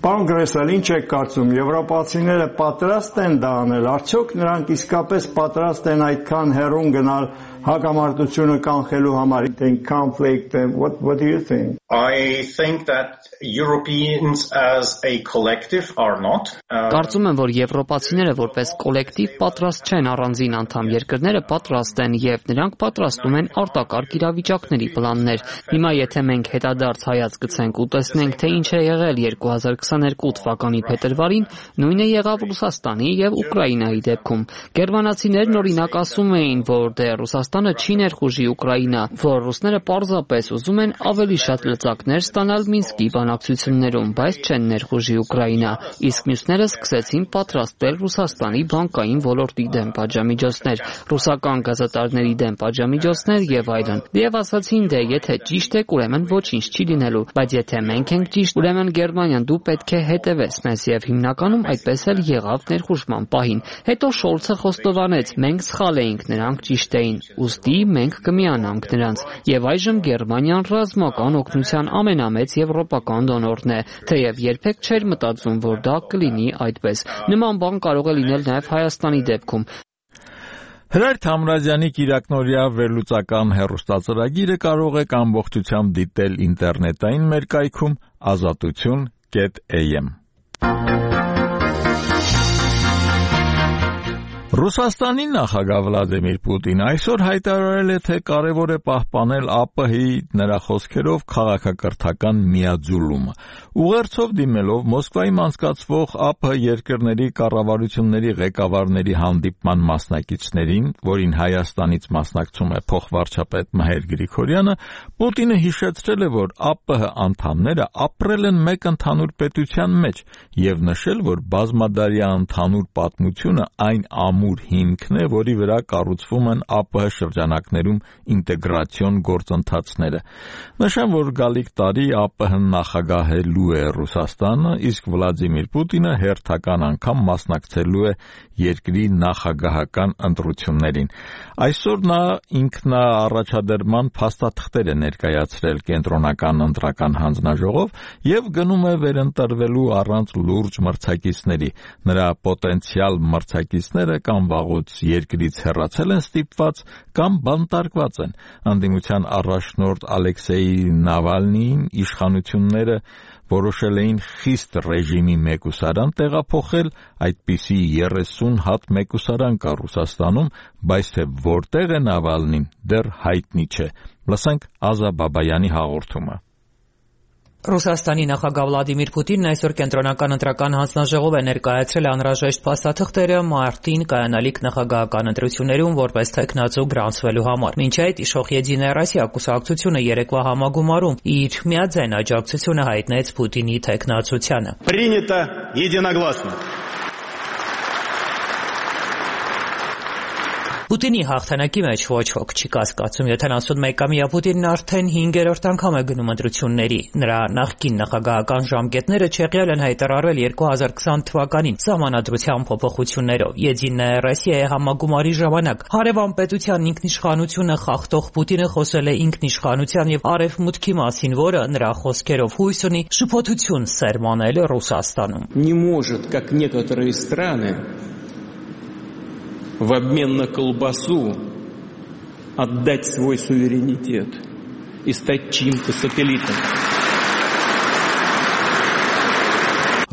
Կոնգրեսը ինչ է կարծում, եվրոպացիները պատրաստ են դա անել, արդյոք նրանք իսկապես պատրաստ են այդքան հեռուն գնալ հակամարտությունը կանխելու համար, in conflict, and what what do you think? I think that Europeans as a collective are not. Կարծում եմ, որ եվրոպացիները որպես կոլեկտիվ պատրաստ չեն, առանձին անդամ երկրները պատրաստ են եւ նրանք պատրաստում են արտակարգ իրավիճակների պլաններ։ Հիմա եթե մենք հետադարձ հայացք գցենք ու տեսնենք, թե ինչ է եղել երկու հազար քսաներկու թվականի փետրվարին, նույնը եղավ Ռուսաստանի եւ Ուկրաինայի դեպքում։ Գերմանացիներն օրինակ ասում էին, որ դե Ռուսաստանը չի ներխուժի Ուկրաինա, որ ռուսները պարզապես ուզում են ավելի շատ լծակներ ստանալ Մինսկի բանակցություններում, բայց չեն ներխուժի Ուկրաինա, իսկ մյուսները սկսեցին պատրաստել Ռուսաստանի բանկային ոլորտի դեմ պատժամիջոցներ, ռուսական գազատարների դեմ պատժամիջոցներ եւ այլն։ Եվ ասացին, դե եթե ճիշտ եք, ուրեմն ոչինչ չի լինելու, բայց եթե մենք ենք ճիշտ, ուրեմն Գերմանիան դու պետք է հետևես մեզ եւ հիմնականում այդպես էլ եղավ ներխուժման պահին։ Հետո Շոլցը խոստովանեց, մենք սխալ էինք, նրանք ճիշտ էին, ուստի մենք կմիանանք նրանց։ Եվ այժմ Գերմանիան ռազմական օգնության ամենամեծ եվրոպական դոնորն է, թեև երբեք չէր մտածում, որ դա կլինի այդպես։ Նման բան կարող է լինել նաեւ Հայաստանի դեպքում։ Հրայր Թամրազյանի կիրակնօրյա վերլուծական հեռուստածրագիրը կարող եք ամբողջությամբ դիտել ինտերնետային մեր կայքում ազատություն կետ էյ էմ։ Ռուսաստանի նախագահ Վլադիմիր Պուտինը այսօր հայտարարել է, թե կարևոր է պահպանել ԱՊՀ-ի նրա խոսքերով քաղաքակրթական միաձուլումը։ Ուղերձով դիմելով Մոսկվայում անցկացվող ԱՊՀ երկրների կառավարությունների ղեկավարների հանդիպման մասնակիցներին, որին Հայաստանից մասնակցում է փոխվարչապետ Մհեր Գրիգորյանը, Պուտինը հիշեցրել է, որ ԱՊՀ անդամները ապրել են մեկ ընդհանուր պետության մեջ եւ նշել, որ բազմադարյա ընդհանուր պատմությունը այն ամուր հիմքն է, որի վրա կառուցվում են ԱՊՀ շրջանակներում ինտեգրացիոն գործընթացները։ Նշեմ, որ գալիք տարի ԱՊՀ-ն նախագահելու է Ռուսաստանը, իսկ Վլադիմիր Պուտինը հերթական անգամ մասնակցելու է երկրի նախագահական ընտրություններին։ Այսօր նա ինքնաառաջադրման փաստաթղթեր է ներկայացրել կենտրոնական ընտրական հանձնաժողով եւ գնում է վերընտրվելու առանց լուրջ մրցակիցների։ Նրա պոտենցիալ մրցակիցները կամ վաղուց երկրից հեռացել են ստիպված, կամ բանտարկված են։ Անդիմության առաջնորդ Ալեքսեյ Նավալնիին իշխանությունները որոշել էին խիստ ռեժիմի մեկուսարան տեղափոխել, այդպիսի երեսուն հատ մեկուսարան կա Ռուսաստանում, բայց թե որտեղ է Նավալնին, դեռ հայտնի չէ։ Լսենք Ազա Բաբայանի հաղորդումը։ Ռուսաստանի նախագահ Վլադիմիր Պուտինն այսօր կենտրոնական ընտրական հանձնաժողով է ներկայացրել անհրաժեշտ փաստաթղթերը մարտին կայանալիք նախագահական ընտրություններում որպես թեկնածու գրանցվելու համար։ Մինչ այդ իշխող Եդինայա Ռոսիա կուսակցությունը երեկվա համագումարում իր միաձայն աջակցությունը հայտնեց Պուտինի թեկնածությանը։ Принято единогласно. Պուտինի հաղթանակի մեջ ոչ ոք չի կասկածում, յոթանասունմեկամյա Պուտինն արդեն հինգերորդ անգամ է գնում ընտրությունների։ Նրա նախկին նախագահական ժամկետները չեղյալ են հայտարարվել երկու հազար քսան թվականին սահմանադրության փոփոխություններով։ Եդինայա Ռոսիայի համագումարի ժամանակ հարևան պետության ինքնիշխանությունը խախտող Պուտինը խոսել է ինքնիշխանության եւ արևմուտքի մասին, որը նրա խոսքերով հույս ունի շփոթություն սերմանել Ռուսաստանում։ Не может, как некоторые страны, в обмен на колбасу отдать свой суверенитет и стать чьим-то сателлитом.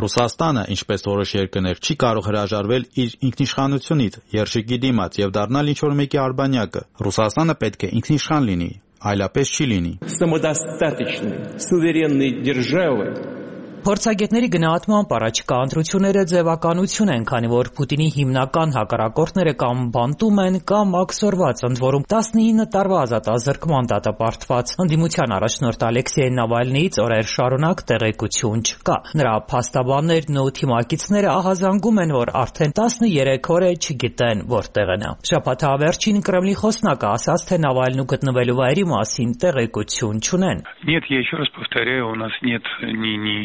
Ռուսաստանը, ինչպես որոշ երկրներ, չի կարող հրաժարվել իր ինքնիշխանությունից, երշիկի դիմաց եւ դառնալ ինչ-որ մեկի արբանյակը։ Ռուսաստանը պետք է ինքնիշխան լինի, այլապես չի լինի։ Самодостаточной, суверенной державы Փորձագետների գնահատմամբ առաջիկա ընտրությունները ձևականություն են, քանի որ Պուտինի հիմնական հակառակորդները կամ բանտում են, կամ աքսորված, ընդ որում տասնինը տարվա ազատազրկման դատապարտված ընդդիմության առաջնորդ Ալեքսեյ Նավալնիից օրեր շարունակ տեղեկություն չկա։ Նրա փաստաբաններն ու թիմակիցները ահազանգում են, որ արդեն տասներեք օր է չգիտեն որտեղ է նա։ Շաբաթավերջին Կրեմլի խոսնակը ասաց, թե Նավալնու գտնվելու վայրի մասին տեղեկություն չունեն։ Нет, я еще раз повторяю, у нас нет ни ни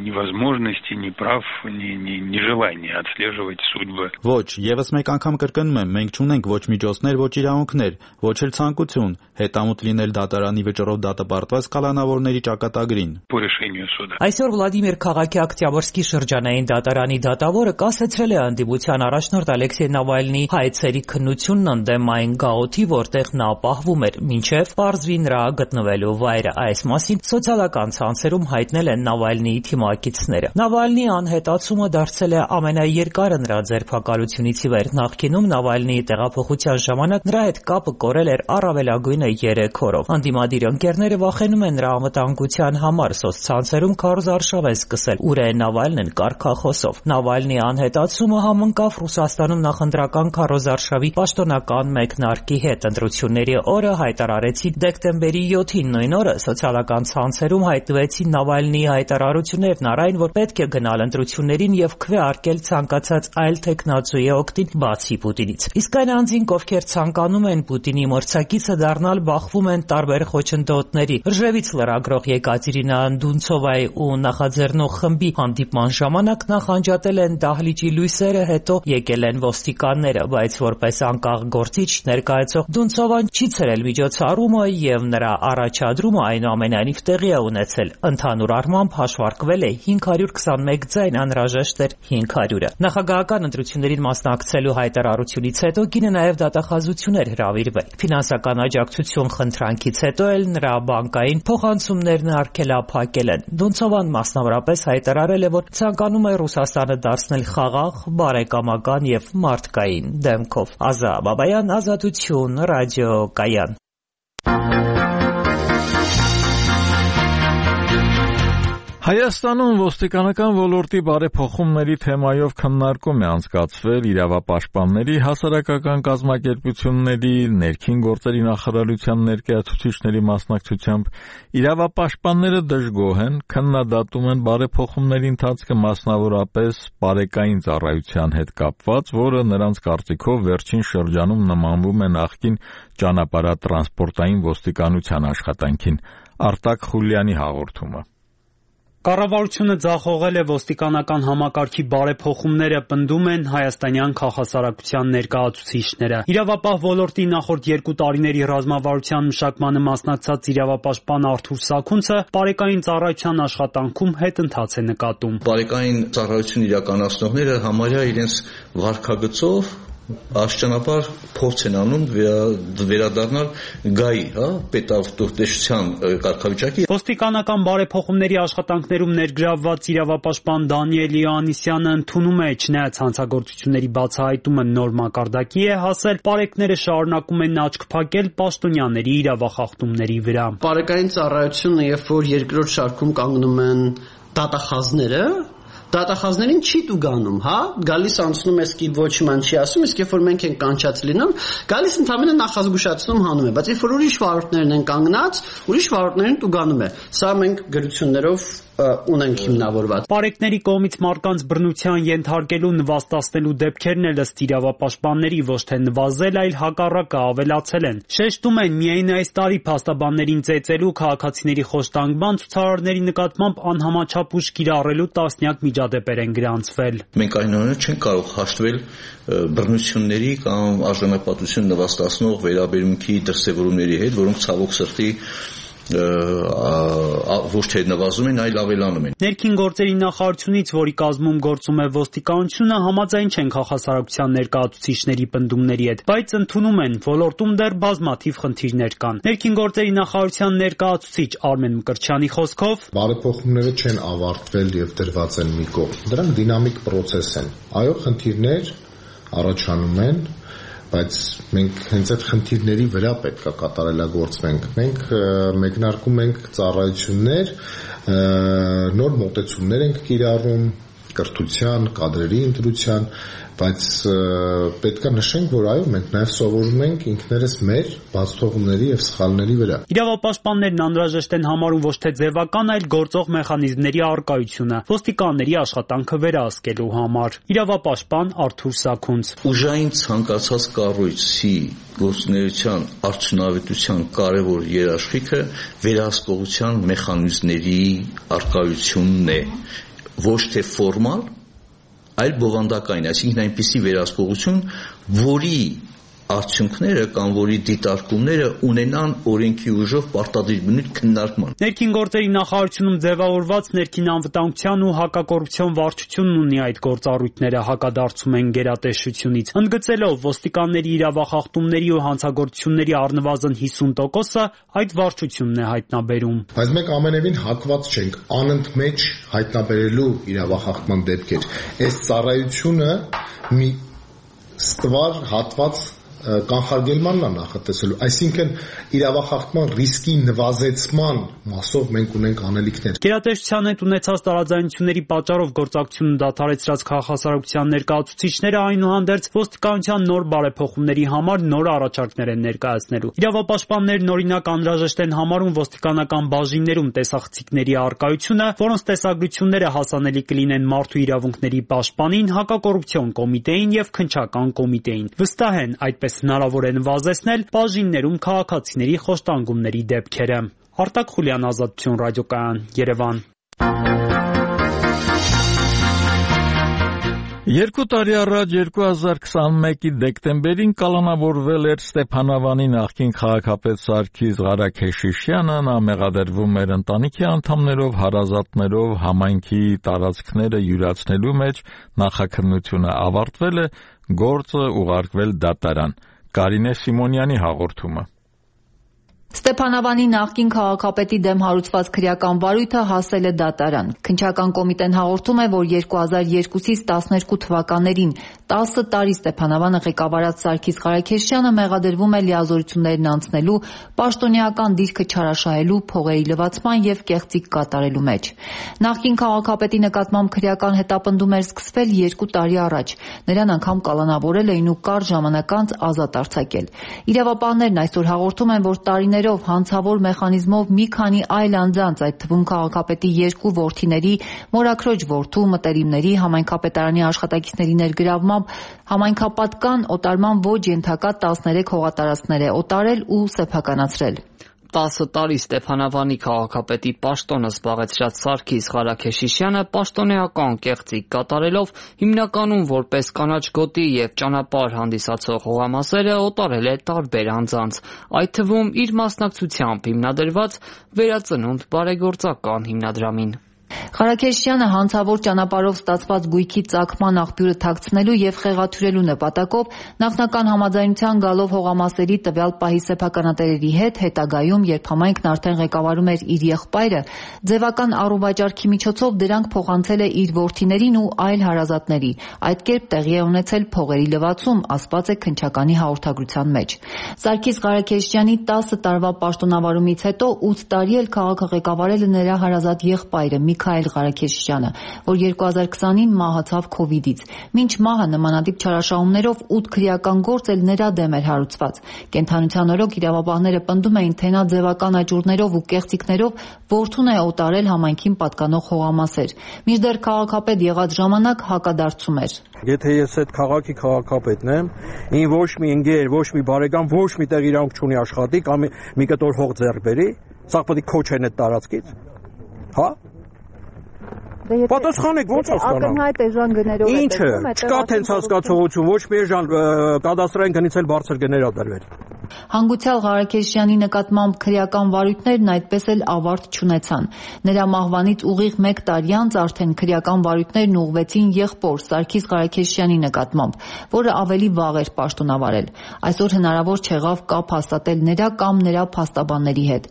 ни возможности, ни прав, ни ни ни желания отслеживать судьбы. Ոչ, եւս մեկ անգամ կրկնում եմ, մենք չունենք ոչ միջոցներ, ոչ իրավունքներ, ոչ էլ ցանկություն հետամուտ լինել դատարանի վճռով դատապարտված կալանավորների ճակատագրին։ По решению суда. Այսօր Վլադիմիր Քաղաքի Օկտյաբրսկի շրջանային դատարանի դատավորը կասեցրել է ընդդիմության առաջնորդ Ալեքսեյ Նավալնիի հայցերի քննությունն ընդդեմ այն գաղութի, որտեղ նա պահվում էր, մինչև պարզվի նրա գտնվելու վայրը։ Այս մասին սոցիալական ցանցերում հայտնել են Նավալնիի թիմակիցները։ Նավալնիի անհետացումը դարձել է ամենաերկարը նրա ձերբակալությունից ի վեր։ Նախկինում Նավալնիի տեղափոխության ժամանակ նրա հետ կապը կորել էր առավելագույնը երեք օրով։ Անդիմադիր ընկերները վախենում են նրա անվտանգության համար, սոցցանցերում քարոզարշավ են սկսել ուր է Նավալնին կարգախոսով։ Նավալնիի անհետացումը համընկավ Ռուսաստանում նախընտրական քարոզարշավի պաշտոնական մեկնարկի հետ։ Ընտրությունների օրը հայտարարեցին դեկտեմբերի յոթին, նույն օրը սոցիալական ցանցերում հայտնվեցին Նավալնիի հայտարարություններն առայն, որ պետք է գնալ ընտրություններին եւ քվեարկել ցանկացած այլ տեխնացուի օգտին բացի Պուտինից։ Իսկ այն անձինք, ովքեր ցանկանում են Պուտինի մրցակիցը դառնալ, բախվում են տարբեր խոչընդոտների։ Ռժևից լրագրող Եկատերինա Դունցովայի ու նախաձեռնող խմբի հանդիպման ժամանակ նախանջատել են դահլիճի լույսերը, հետո եկել են ոստիկանները, բայց որպես անկախ գործիչ ներկայացող Դունցովան չի ցրել միջոցառումը եւ նրա առաջադրումը այնուամենայնիվ տեղի է ունեցել։ Ընդհանուր առմամբ հաշվարկվել է հինգ հարյուր քսանմեկ ձայն, անհրաժեշտ էր հինգ հարյուրը։ Նախագահական ընտրություններին մասնակցելու հայտարարությունից հետո կինը նաեւ դատախազություն էր հրավիրվել։ Ֆինանսական աջակցություն խնդրանքից հետո էլ նրա բանկային փոխանցումներն արգելափակել են։ Դունցովան մասնավորապես հայտարարել է, որ ցանկանում է Ռուսաստանը դարձնել խաղաղ, բարեկամական եւ մարդկային դեմքով։ Ազա Բաբայան, Ազատություն, ռադիո Կայան։ Հայաստանում ոստիկանական ոլորտի բարեփոխումների թեմայով քննարկում է անցկացվել իրավապաշտպանների, հասարակական կազմակերպությունների, ներքին գործերի նախարարության ներկայացուցիչների մասնակցությամբ։ Իրավապաշտպանները դժգոհ են, քննադատում են բարեփոխումների ընթացքը մասնավորապես բարեկային ծառայության հետ կապված, որը նրանց կարծիքով վերջին շրջանում նմանվում է նախկին ճանապարհատրանսպորտային ոստիկանության աշխատանքին։ Արտակ Խուլյանի հաղորդումը։ Կառավարությունը ձախողել է ոստիկանական համակարգի բարեփոխումները, պնդում են հայաստանյան քաղաքասարակության ներկայացուցիչները։ Իրավապահ ոլորտի նախորդ երկու տարիների ռազմավարության մշակմանը մասնակցած իրավապաշտպան Արթուր Սաքունցը բարեկային ծառայության աշխատանքում հետընթաց է նկատում։ Բարեկային ծառայություն իրականացնողները համարյա իրենց վարքագծով աշճանապար փորձ են անում վերադառնալ գայի, հա, պետավտոտեսության կարգավիճակի։ Ոստիկանական բարեփոխումների աշխատանքներում ներգրավված իրավապաշտպան Դանիել Իոաննիսյանը ընդունում է, չնայած հանցագործությունների բացահայտումը նոր մակարդակի է հասել, պարեկները շարունակում են աչք փակել պաշտոնյաների իրավախախտումների վրա։ Բարեկային ծառայությունը, երբ որ երկրորդ շարքում կանգնում են դատախազները, դատախազներին չի տուգանում, հա, գալիս անցնում է սկիպ ոչ ման չի ասում, իսկ երբ որ մենք ենք կանչած լինում, գալիս ընդհանրապես նախազգուշացնում հանում է, բայց երբ որ ուրիշ վարորդներն են կանգնած, ուրիշ վարորդներին տուգանում է։ Սա մենք գրություններով ունենք հիմնավորված։ Պարեկների կողմից մարդկանց բռնության ենթարկելու, նվաստացնելու դեպքերն էլ ըստ իրավապաշտպանների ոչ թե նվազել, այլ հակառակը ավելացել են։ Շեշտում են, միայն այս տարի փաստաբաններին ծեծելու, քաղաքացիների խոշտանգման, ցուցարարների նկատմամբ անհամաչափ ուժ կիրառելու տասնյակ միջադեպեր են գրանցվել։ Մենք այնուամենայնիվ չենք կարող հաշտվել բռնությունների կամ արժանապատվություն նվաստացնող վերաբերմունքի դրսևորումների հետ, որոնք ցավոք սրտի ոչ թե նվազում են, այլ ավելանում են։ Ներքին գործերի նախարարությունից, որի կազմում գործում է ոստիկանությունը, համաձայն չեն քաղաքասարակության ներկայացուցիչների պնդումների հետ, բայց ընդունում են, ոլորտում դեռ բազմաթիվ խնդիրներ կան։ Ներքին գործերի նախարարության ներկայացուցիչ Արմեն Մկրտչյանի խոսքով, բարեփոխումները չեն ավարտվել եւ դրված են մի կողմ։ Դրանք դինամիկ process են։ Այո, խնդիրներ առաջանում են, բայց մենք հենց այդ խնդիրների վրա պետք է կատարելագործվենք։ Մենք մեկնարկում ենք ծառայություններ, նոր մոտեցումներ ենք կիրառում կրթության, կադրերի ընտրության, բայց պետք է նշենք, որ այո, մենք նաև սովորում ենք ինքներս մեր բացթողումների եւ սխալների վրա։ Իրավապաշտպաններն անհրաժեշտ են համարում ոչ թե ձևական, այլ գործող մեխանիզմների առկայությունը ոստիկանների աշխատանքը վերահսկելու համար։ Իրավապաշտպան Արթուր Սաքունց. Ուժային ցանկացած կառույցի գործունեության արդյունավետության կարևոր երաշխիքը վերահսկողության մեխանիզմների առկայությունն է, ոչ թե ֆորմալ, այլ բովանդակային, այսինքն այնպիսի վերահսկողություն, որի արդյունքները կամ որի դիտարկումները ունենան օրենքի ուժով պարտադիր բնույթ քննարկման։ Ներքին գործերի նախարարությունում ձևավորված ներքին անվտանգության ու հակակոռուպցիոն վարչությունն ունի այդ գործառույթները, հակադարձում են գերատեսչությունից, ընդգծելով ոստիկանների իրավախախտումների ու հանցագործությունների առնվազն հիսուն տոկոսը այդ վարչությունն է հայտնաբերում։ Բայց մենք ամենևին հակված չենք անընդմեջ հայտնաբերելու իրավախախտման դեպքեր։ Այս ծառայությունը մի ստվար հատված կանխարգելմանն է նախատեսելու, այսինքն իրավախախտման ռիսկի նվազեցման մասով մենք ունենք անելիքներ։ Գերատեսչության հետ ունեցած տարաձայնությունների պատճառով գործակցությունը դադարեցրած քաղաքասարակության ներկայացուցիչները այնուհանդերձ ոստիկանության նոր բարեփոխումների համար նոր առաջարկներ են ներկայացնելու։ Իրավապաշտպաններն օրինակ անհրաժեշտ են համարում ոստիկանական բաժիններում տեսախցիկների առկայությունը, որոնց տեսագրությունները հասանելի կլինեն մարդու իրավունքների պաշտպանին, հակակոռուպցիոն կոմիտեին եւ քննչական կոմիտեին։ Վստահ են այդպես հնարավոր է նվազեցնել բաժիններում քաղաքացիների խոշտանգումների դեպքերը։ Արտակ Խուլյան, Ազատություն ռադիոկայան, Երևան։ Երկու տարի առաջ երկու հազար քսանմեկի դեկտեմբերին կալանավորվել էր Ստեփանավանի նախկին քաղաքապետ Սարգիս Ղարաքեշիշյանը, նա մեղադրվում էր ընտանիքի անդամներով, հարազատներով համայնքի տարածքները յուրացնելու մեջ, նախաքննությունը ավարտվել է, գործը ուղարկվել դատարան։ Կարինե Սիմոնյանի հաղորդումը։ Ստեփանավանի նախկին քաղաքապետի դեմ հարուցված քրեական վարույթը հասել է դատարան։ Քննչական կոմիտեն հաղորդում է, որ երկու հազար երկուսից տասներկու թվականներին տասը տարի Ստեփանավանը ղեկավարած Սարգիս Ղարաքեշյանը մեղադրվում է լիազորություններն անցնելու, պաշտոնեական դիրքը չարաշահելու, փողերի լվացման եւ կեղծիք կատարելու մեջ։ Նախկին քաղաքապետի նկատմամբ քրեական հետապնդում էր սկսվել երկու տարի առաջ։ Նրան անգամ կալանավորել էին ու կարճ ժամանակ անց ազատ արձակել։ Իրավապահներն այսօր հաղորդում են, որ տարիներ հանցավոր մեխանիզմով մի քանի այլ անձանց, այդ թվում քաղաքապետի երկու որդիների, մորաքրոջ որդու, մտերիմների, համայնքապետարանի աշխատակիցների ներգրավմամբ համայնքապատկան օտարման ոչ ենթակա տասներեք հողատարածքներ է օտարել ու սեփականացրել։ տասը տարի Ստեփանավանի քաղաքապետի պաշտոնը զբաղեցրած Սարգիս Ղարաքեշիշյանը պաշտոնեական կեղծիք կատարելով հիմնականում որպես կանաչ գոտի եւ ճանապարհ հանդիսացող հողամասերը օտարել է տարբեր անձանց, այդ թվում իր մասնակցությամբ հիմնադրված Վերածնունդ բարեգործական հիմնադրամին։ Ղարաքեշյանը հանցավոր ճանապարհով ստացված գույքի ծագման աղբյուրը թաքցնելու եւ խեղաթյուրելու նպատակով նախնական համաձայնության գալով հողամասերի տվյալ պահի սեփականատերերի հետ հետագայում, երբ համայնքն արդեն ղեկավարում էր իր եղբայրը, ձևական առուվաճառքի միջոցով դրանք փոխանցել է իր որդիներին ու այլ հարազատների։ Այդ կերպ տեղի է ունեցել փողերի լվացում, ասված է քննչականի հաղորդագրության մեջ։ Սարգիս Ղարաքեշյանի տասը տարվա պաշտոնավարումից հետո ութ տարի էլ քաղաքը ղեկավարել է նրա հարազատ եղբայրը Միքայել Ղարաքեշյանը, որ երկու հազար քսանին մահացավ քովիդից։ Մինչ մահը նմանատիպ չարաշահումներով ութ քրեական գործ էլ նրա դեմ էր հարուցված։ Կենդանության օրոք իրավապահները պնդում էին, թե նա ձևական աճուրներով ու կեղծիքներով որդուն է օտարել համայնքին պատկանող հողամասեր։ Մինչդեռ քաղաքապետ եղած ժամանակ հակադարձում էր։ Եթե ես այդ քաղաքի քաղաքապետն եմ, ին ոչ մի ընկեր, ոչ մի բարեկամ, ոչ մի տեղ իրանք չունի աշխատի կամ մի կտոր հող ձեռք բերի, սա պետք է քոչեն այդ տարածքից։ Հա? Պատասխանեք ո՞նց է ստանալ։ Ակնհայտ էժան գներով է տեսնում, չկա տենց հասկացողություն, ոչ մի էժան կադաստրային գնից էլ բարձր գներ ա դրվել։ Հանգուցյալ Ղարաքեշյանի նկատմամբ քրեական վարույթներն այդպես էլ ավարտ չունեցան։ Նրա մահվանից ուղիղ մեկ տարի անց արդեն քրեական վարույթներն ուղղվեցին եղբոր Սարգիս Ղարաքեշյանի նկատմամբ, որը ավելի վաղ էր պաշտոնավարել։ Այսօր հնարավոր չեղավ կապ հաստատել նրա կամ նրա փաստաբանների հետ։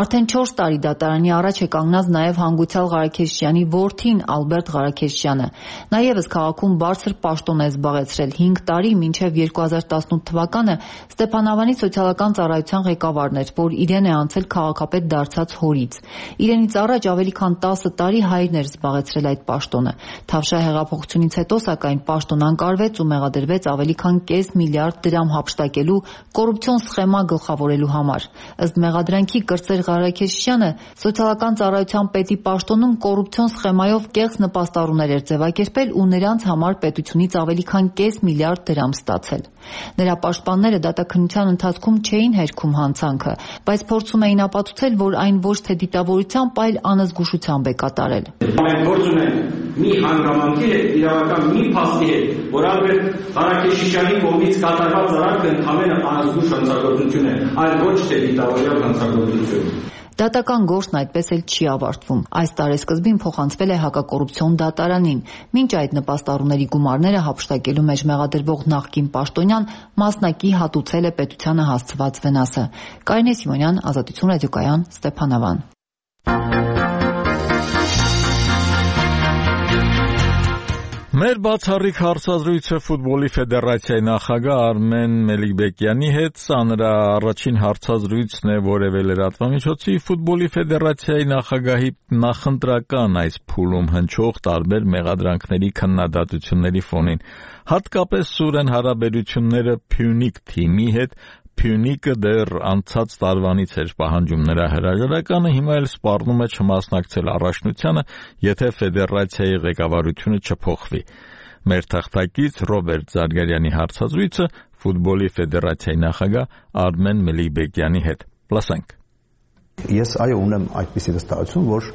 Արդեն չորս տարի դատարանի առաջ է կանգնած նաև հանգուցյալ Ղարաքեշյանի որդին Ալբերտ Ղարաքեշյանը։ Նա ևս քաղաքում բարձր պաշտոն է զբաղեցրել հինգ տարի, մինչև երկու հազար տասնութ թվականը Ստեփանավանի սոցիալական ծառայության ղեկավարն էր, որ իրեն է անցել քաղաքապետ դարձած հորից։ Իրենից առաջ ավելի քան տասը տարի հայրն էր զբաղեցրել այդ պաշտոնը։ Թավշյա հեղափոխությունից հետո սակայն պաշտոն անկարվեց ու մեղադրվեց ավելի քան կես միլիարդ դրամ հափշտակելու կոռուպցիոն սխեմա գլխավորելու համար։ Ըստ մեղադրանքի կրծեր Ղարաքեշյանը սոցիալական ծառայության պետի պաշտոնում կոռուպցիոն սխեմայով կեղծ նպաստառուներ էր ձևակերպել ու նրանց համար պետությունից ավելի քան կես միլիարդ դրամ ստացել։ Նրա պաշտպանները դատաքննության ընթացքում չէին հերքում հանցանքը, բայց փորձում էին ապացուցել, որ այն ոչ թե դիտավորությամբ, այլ անզգուշությամբ է կատարել։ Մենք գործ ունենք մի հանգամանքի հետ, իրավական մի փաստի հետ, որ Ալբերտ Ղարաքեշյանի կողմից կատարված արարքը ընդհանրապես անզգուշ հանցագործություն է, այլ ոչ թե դիտավորյալ հանցագործություն։ Դատական գործն այդպես էլ չի ավարտվում։ Այս տարեսկզբին փոխանցվել է հակակոռուպցիոն դատարանին։ Մինչ այդ նպաստառուների գումարները հափշտակելու մեջ մեղադրվող նախկին պաշտոնյան մասնակի հատուցել է պետությանը հասցված վնասը։ Կարինե Սիմոնյան, Ազատություն ռադիոկայան, Ստեփանավան։ Մեր բացառիկ հարցազրույցը ֆուտբոլի ֆեդերացիայի նախագահ Արմեն Մելիքբեկյանի հետ, սա նրա առաջին հարցազրույցն է որևէ լրատվամիջոցի ֆուտբոլի ֆեդերացիայի նախագահի նախընտրական այս փուլում հնչող տարբեր մեղադրանքների քննադատությունների ֆոնին, հատկապես սուր են հարաբերությունները Փյունիկ թիմի հետ, Փյունիկը դեռ անցած տարվանից էր պահանջում նրա հրաժարականը, հիմա էլ սպառնում է չմասնակցել առաջնությանը, եթե ֆեդերացիայի ղեկավարությունը չփոխվի։ Մեր թղթակից Ռոբերտ Զարգարյանի հարցազրույցը ֆուտբոլի ֆեդերացիայի նախագահ Արմեն Մելիքբեկյանի հետ։ Լսենք։ Ես այո ունեմ այդպիսի վստահություն, որ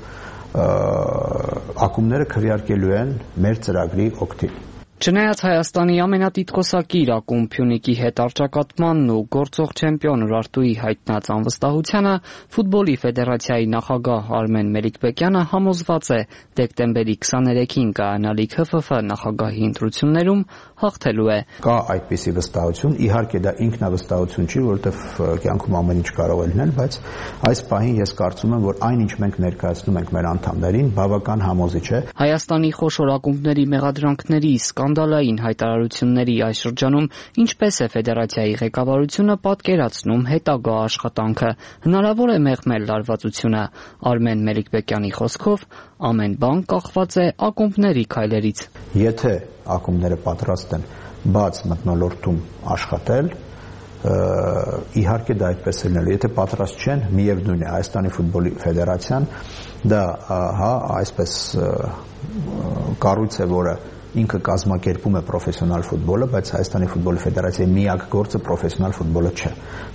ակումբները քվեարկելու են մեր ծրագրի օգտին։ Չնայած Հայաստանի ամենատիտղոսակիր ակումբ Փյունիկի հետ առճակատմանն ու գործող չեմպիոն Ուրարտուի հայտնած անվստահությանը, ֆուտբոլի ֆեդերացիայի նախագահ Արմեն Մելիքբեկյանը համոզված է դեկտեմբերի քսաներեքին կայանալիք Հ Ֆ Ֆ նախագահի ընտրություններում հաղթելու է։ Կա այդպիսի վստահություն, իհարկե դա ինքնավստահություն չի, որովհետև կյանքում ամեն ինչ կարող է լինել, բայց այս պահին ես կարծում եմ, որ այն ինչ մենք ներկայացնում ենք մեր անդամներին, բավական համոզիչ է։ Հայաստանի խոշոր ակումբների մեղադրանքների սկանդալային հայտարարությունների այս շրջանում ինչպես է ֆեդերացիայի ղեկավարությունը պատկերացնում հետագա աշխատանքը։ Հնարավոր է մեղմել լարվածությունը։ Արմեն Մելիքբեկյանի խոսքով ամեն բան կախված է ակումբների քայլերից։ Եթե ակումբները պատրաստ են բաց մթնոլորտում աշխատել, իհարկե դա այդպես է լինելու։ Եթե պատրաստ չեն, միևնույն է, Հայաստանի ֆուտբոլի ֆեդերացիան դա հա այսպես կառույց է, որը ինքը կազմակերպում է պրոֆեսիոնալ ֆուտբոլը, բայց Հայաստանի ֆուտբոլի ֆեդերացիայի միակ գործը պրոֆեսիոնալ ֆուտբոլը չէ։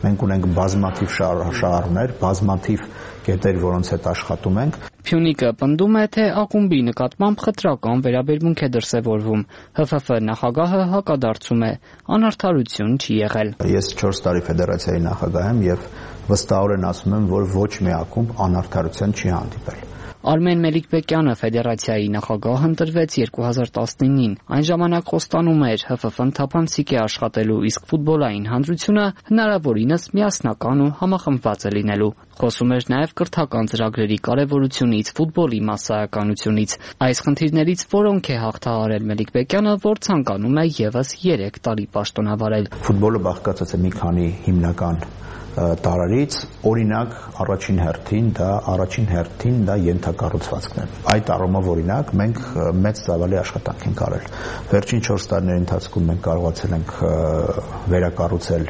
Մենք ունենք բազմաթիվ շահառուներ, բազմաթիվ կետեր, որոնց հետ աշխատում ենք։ Փյունիկը պնդում է, թե ակումբի նկատմամբ խտրական վերաբերմունք է դրսևորվում։ Հ Ֆ Ֆ նախագահը հակադարձում է, անարդարություն չի եղել։ Ես չորս տարի ֆեդերացիայի նախագահ եմ եւ վստահորեն ասում եմ, որ ոչ մի ակումբ անարդարության չի հանդիպել։ Արմեն Մելիքբեկյանը ֆեդերացիայի նախագահ ընտրվեց երկու հազար տասնինին։ Այն ժամանակ խոստանում էր Հ Ֆ Ֆ-ն թափանցիկ է աշխատելու, իսկ ֆուտբոլային հանրությունը հնարավորինս միասնական ու համախմբված է լինելու։ Խոսում էր նաև կրթական ծրագրերի կարևորությունից, ֆուտբոլի մասսայականությունից։ Այս խնդիրներից որոնք է հաղթահարել Մելիքբեկյանը, որ ցանկանում է եւս երեք տարի պաշտոնավարել։ Ֆուտբոլը բաղկացած է մի քանի հիմնական տարարից, օրինակ առաջին հերթին դա առաջին հերթին դա ենթակառուցվածքն է։ Այդ առումով օրինակ մենք մեծ ծավալի աշխատանք ենք արել։ Վերջին չորս տարիների ընթացքում մենք կարողացել ենք վերակառուցել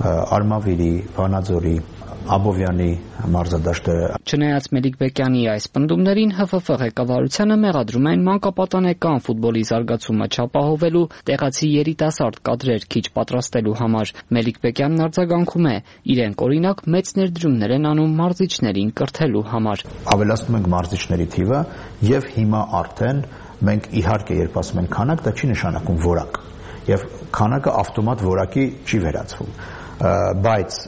Արմավիրի, Վանաձորի, Աբովյանի մարզադաշտերը։ Չնայած Մելիքբեկյանի այս պնդումներին, Հ Ֆ Ֆ ղեկավարությանը մեղադրում են մանկապատանեկան ֆուտբոլի զարգացումը չապահովելու, տեղացի երիտասարդ կադրեր քիչ պատրաստելու համար։ Մելիքբեկյանն արձագանքում է, իրենք օրինակ մեծ ներդրումներ են անում մարզիչներին կրթելու համար։ Ավելացնում ենք մարզիչների թիվը եւ հիմա արդեն մենք իհարկե երբ ասում ենք քանակ, դա չի նշանակում որակ։ Եվ քանակը ավտոմատ որակի չի վերածվում։ բայց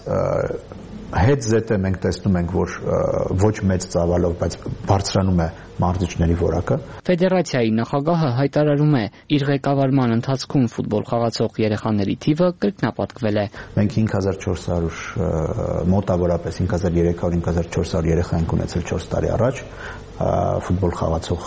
հետ զետը մենք տեսնում ենք, որ ոչ մեծ ծավալով, բայց բարձրանում է մարզիչների որակը։ Ֆեդերացիայի նախագահը հայտարարում է, իր ղեկավարման ընթացքում ֆուտբոլ խաղացող երեխաների թիվը կրկնապատկվել է։ Մենք հինգ հազար չորս հարյուր մոտավորապես հինգ հազար երեք հարյուր հինգ հազար չորս հարյուր երեխա ենք ունեցել չորս տարի առաջ ֆուտբոլ խաղացող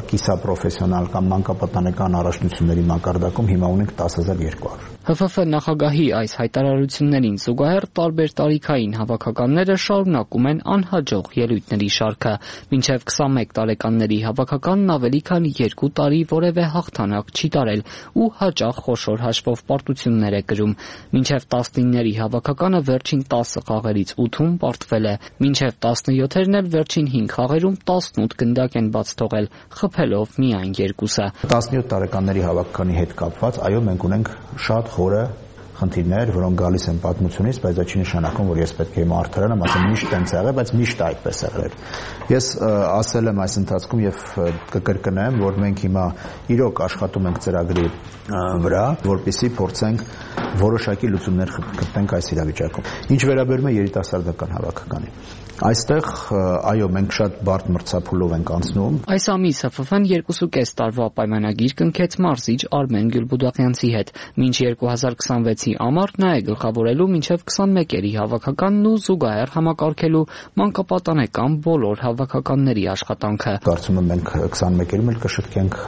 կիսապրոֆեսիոնալ կամ մանկապատանեկան առաջնությունների մակարդակում հիմա ունենք տասը հազար երկու հարյուր։ Հ Ֆ Ֆ նախագահի այս հայտարարություններին զուգահեռ տարբեր տարիքային հավաքականները շարունակում են անհաջող ելույթների շարքը։ Մինչև քսանմեկ տարեկանների հավաքականն ավելի քան երկու տարի որևէ հաղթանակ չի տարել ու հաճախ խոշոր հաշվով պարտություններ է կրում։ Մինչև տասնինների հավաքականը վերջին տասը խաղերից ութում պարտվել է։ Մինչև տասնյոթերն էլ վերջին հինգ խաղերում տասնութ գնդակ են բաց թողել, խփելով միայն երկուսը։ տասնյոթ տարեկանների հավաքականի հետ կապված, այո, մենք ունենք շատ խորը խնդիրներ, որոնք գալիս են պատմությունից, բայց դա չի նշանակում, որ ես պետք է իմ արդարանամ, ասեմ միշտ տենց եղել, բայց միշտ այդպես եղել։ Ես ասել եմ այս ընթացքում եւ կկրկնեմ, որ մենք հիմա իրոք աշխատում ենք ծրագրի վրա, որպեսզի փորձենք որոշակի լուծումներ գտնենք այս իրավիճակում։ Ինչ վերաբերում է երիտասարդական հավաքականին, այստեղ այո, մենք շատ բարդ մրցափուլով ենք անցնում։ Այս ամիս Հ Ֆ Ֆ-ն երկուսուկես տարվա պայմանագիր կնքեց մարզիչ Արմեն Գյուլբուդաղյանցի հետ, մինչ երկու հազար քսանվեցի ամառ նա է գլխավորելու մինչև քսանմեկերի հավաքականն ու զուգահեռ համակարգելու մանկապատանեկան բոլոր հավաքականների աշխատանքը։ Կարծում եմ մենք քսանմեկերում էլ կշտկենք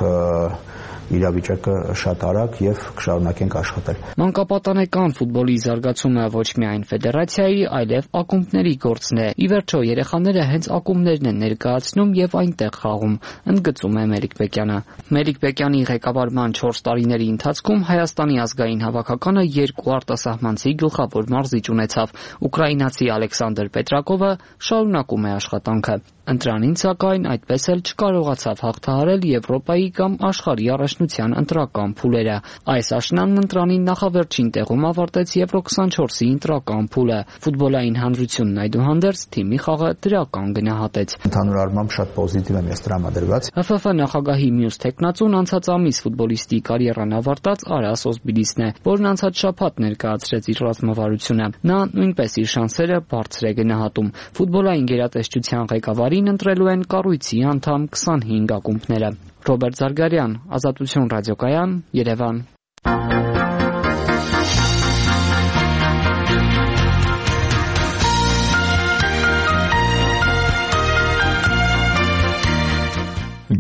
իրավիճակը շատ արագ եւ կշարունակենք աշխատել։ Մանկապատանեկան ֆուտբոլի զարգացումը ոչ միայն ֆեդերացիայի, այլև ակումբների գործն է։ Ի վերջո երեխաները հենց ակումբներն են ներկայացնում եւ այնտեղ խաղում, ընդգծում է Մելիք Բեկյանը։ Մելիք Բեկյանի ղեկավարման չորս տարիների ընթացքում Հայաստանի ազգային հավաքականը երկու արտասահմանցի գլխավոր մարզիչ ունեցավ։ Ուկրաինացի Ալեքսանդր Պետրակովը շարունակում է աշխատանքը։ Ընտրանին սակայն այդպես էլ չկարողացավ հաղթահարել Եվրոպայի կամ աշխարհի առաջնության ընտրական փուլերը։ Այս աշնանն ընտրանին նախավերջին տեղում ավարտեց Եվրո քսանչորսի ընտրական փուլը։ Ֆուտբոլային հանրությունն այդուհանդերձ թիմի խաղը դրական գնահատեց։ Ընդհանուր առմամբ շատ պոզիտիվ եմ ես տրամադրված։ Հ Ֆ Ֆ նախագահի մյուս տեխնացուն անցած ամիս ֆուտբոլիստի կարիերան ավարտած Արա Սոսբիլիսն է, որն անցած շաբաթ ներկայացրեց իր ռազմավարությունը։ Նա նույնպես իր շանսերը բարձր է գնահատում։ Ֆուտբոլային գերատեսչության ղեկավարին ընտրելու են կառույցի անդամ քսանհինգ ակումբները։ Ռոբերտ Զարգարյան, Ազատություն ռադիոկայան, Երևան։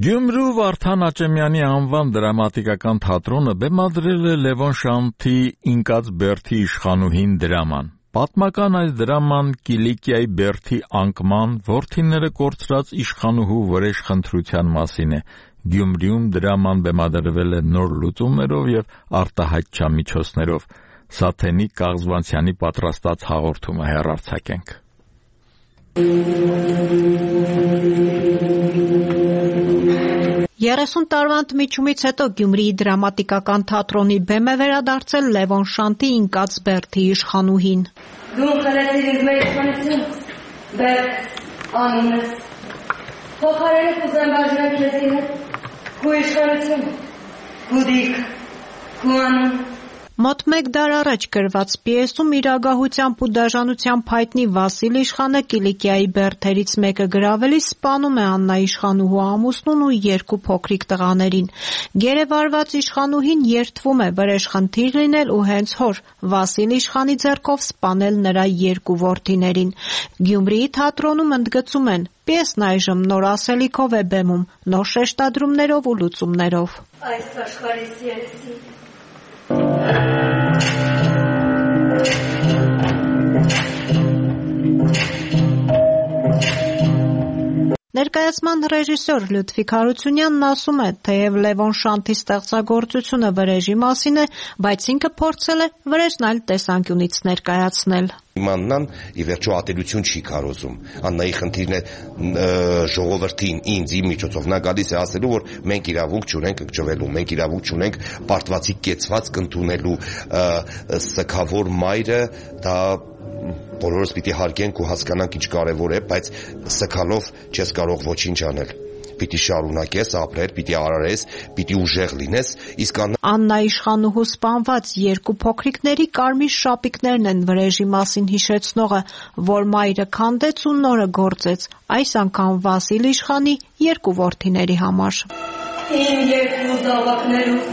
Գյումրու Վարդան Աճեմյանի անվան դրամատիկական թատրոնը բեմադրել է Լևոն Շանթի «Ինկած Բերդի իշխանուհին» դրաման։ Պատմական այս դրաման Կիլիկիայի Բերդի անկման, որդիները կորցրած իշխանուհու վրեժ խնդրության մասին է։ Գյումրիում դրաման բեմադրվել է նոր լուծումներով եւ արտահայտչամիջոցներով։ Սաթենիկ Կաղզվանցյանի պատրաստած հաղորդումը հեռարձակենք։ երեսուն տարվա ընդմիջումից հետո Գյումրիի դրամատիկական թատրոնի բեմ է վերադարձել Լևոն Շանթի «Ինկած Բերդի իշխանուհին»։ Դու խլեցիր ինձ մեր իշխանություն, Բերդ, անունս, փոխարենը կուզեմ բաժնել քեզի հետ, քու իշխանություն, քու դիրք, քու անուն։ Մոտ մեկ դար առաջ գրված պիեսում իրագահությամբ ու դաժանությամբ հայտնի Վասիլ իշխանը Կիլիկիայի բերդերից մեկը գրավելիս սպանում է Աննա իշխանուհու ամուսնուն ու երկու փոքրիկ տղաներին։ Գերեվարված իշխանուհին երդվում է վրեժ խնդիր լինել ու հենց հոր Վասիլ իշխանի ձեռքով սպանել նրա երկու որդիներին։ Գյումրիի թատրոնում ընդգծում են, պիեսն այժմ նոր ասելիքով է բեմում, նոր շեշտադրումներով ու լուծումներով։ Այս աշխարհիս երեսի Ներկայացման ռեժիսոր Լյուդվիգ Հարությունյանն ասում է, թեև Լևոն Շանթի ստեղծագործությունը վրեժի մասին է, բայց ինքը փորձել է վրեժն այլ տեսանկյունից ներկայացնել։ Իմաննան ի վերջո ատելություն չի կարոզում։ Աննայի խնդիրն է ժողովրդին, ինձ իմ միջոցով նա գալիս է ասելու, որ մենք իրավունք չունենք ընկճվելու, մենք իրավունք չունենք պարտվածի կեցվածք ընդունելու, սգավոր մայրը դա բոլորս պիտի հարգենք ու հասկանանք ինչ կարևոր է, բայց սգալով չես կարող ոչինչ անել։ պիտի շարունակես ապրել, պիտի արարես, պիտի ուժեղ լինես, իսկ Աննա իշխանուհու սպանված երկու փոքրիկների կարմիր շապիկներն են վրեժի մասին հիշեցնողը, որ մայրը քանդեց ու նորը գործեց, այս անգամ Վասիլ իշխանի երկու որդիների համար։ Իմ երկու զավակներուս,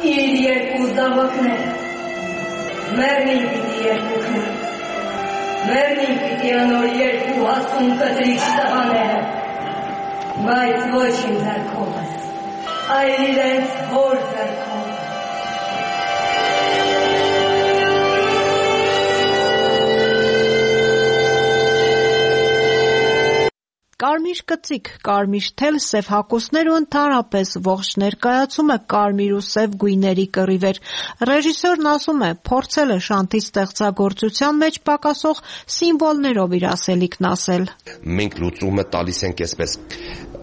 իր երկու զավակներ, մերնին պիտի երկուքներ, մերնին պիտի անոր երկու հասուն կտրիչ տղաները, բայց ոչ իմ ձեռքով ես, այլ իրենց հոր ձեռքով։ Կարմիր կծիկ, կարմիր թել, սև հագուստներ ու ընդհանրապես ողջ ներկայացումը կարմիր ու սև գույների կռիվ էր։ Ռեժիսորն ասում է, փորձել է Շանթի ստեղծագործության մեջ պակասող սիմվոլներով իր ասելիքն ասել։ Մենք լուծումը տալիս ենք այսպես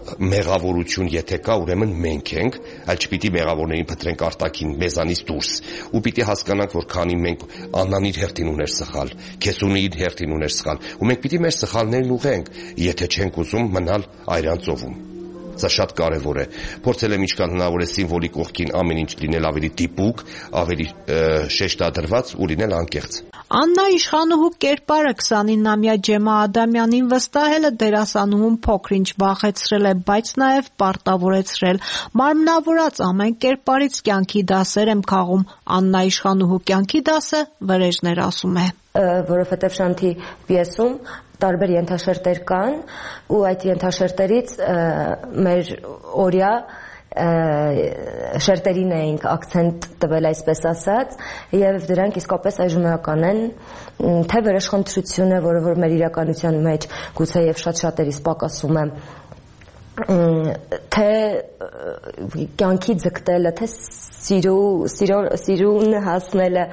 մեղավորություն եթե կա, ուրեմն մենք ենք, այլ չպիտի մեղավորներին փտրենք արտաքին մեզանից դուրս։ Ու պիտի հասկանանք, որ քանի մենք Աննան իր հերթին ուներ սխալ, Քեսունի իր հերթին ուներ սխալ, ու մենք պիտի մեր սխալներն ուղենք, եթե չենք ուզում մնալ այրան ծովում։ Սա շատ կարևոր է։ Փորձել եմ ինչքան հնարավոր է սիմվոլիկ կողքին ամեն ինչ լինել ավելի դիպուկ, ավելի շեշտադրված ու լինել անկեղծ։ Աննա իշխանուհու կերպարը քսանինամյա Ջեմա Ադամյանին վստահելը դերասանուհուն փոքր-ինչ վախեցրել է, բայց նաև պարտավորեցրել։ Մարմնավորած ամեն կերպարից կյանքի դասեր եմ քաղում։ Աննա իշխանուհու կյանքի դասը վրեժներ ասում է։ Որովհետև Շանթի պիեսում տարբեր ենթաշերտեր կան ու այդ ենթաշերտերից մեր օրյա շերտերին էինք ակցենտ տվել, այսպես ասած, եւ դրանք իսկապես այժմեական են, թե վրեժխնդրությունը, որը որ մեր իրականության մեջ գուցե եւ շատ շատերիս պակասում է, թե կյանքի ձգտելը, թե սիրուն հասնելը,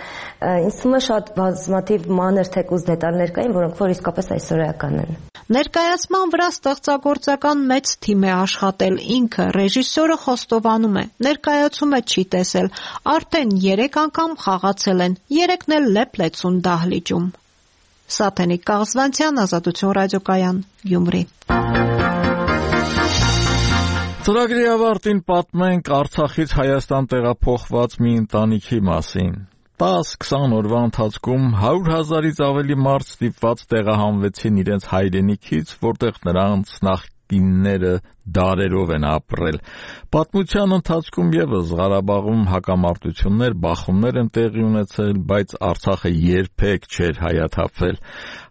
ինձ թվում է շատ բազմաթիվ մանր թեկուզ դետալներ կային, որոնք որ իսկապես այսօրեական են։ Ներկայացման վրա ստեղծագործական մեծ թիմ է աշխատել, ինքը ռեժիսորը խոստովանում է, ներկայացումը չի տեսել, արդեն երեք անգամ խաղացել են, երեքն էլ Լեփլեցուն դահլիճում։ Սաթենիկ Կաղզվանցյան, Ազատություն ռադիոկայան, Գյումրի։ Ծրագրի ավարտին պատմենք Արցախից Հայաստան տեղափոխված մի ընտանիքի մասին։ տաս-քսան օրվա ընթացքում հարյուր հազարից ավելի մարդ ստիպված տեղահանվեցին իրենց հայրենիքից, որտեղ նրանց նախկինները դարերով են ապրել։ Պատմության ընթացքում ևս Ղարաբաղում հակամարտություններ, բախումներ են տեղի ունեցել, բայց Արցախը երբեք չէր հայաթափվել։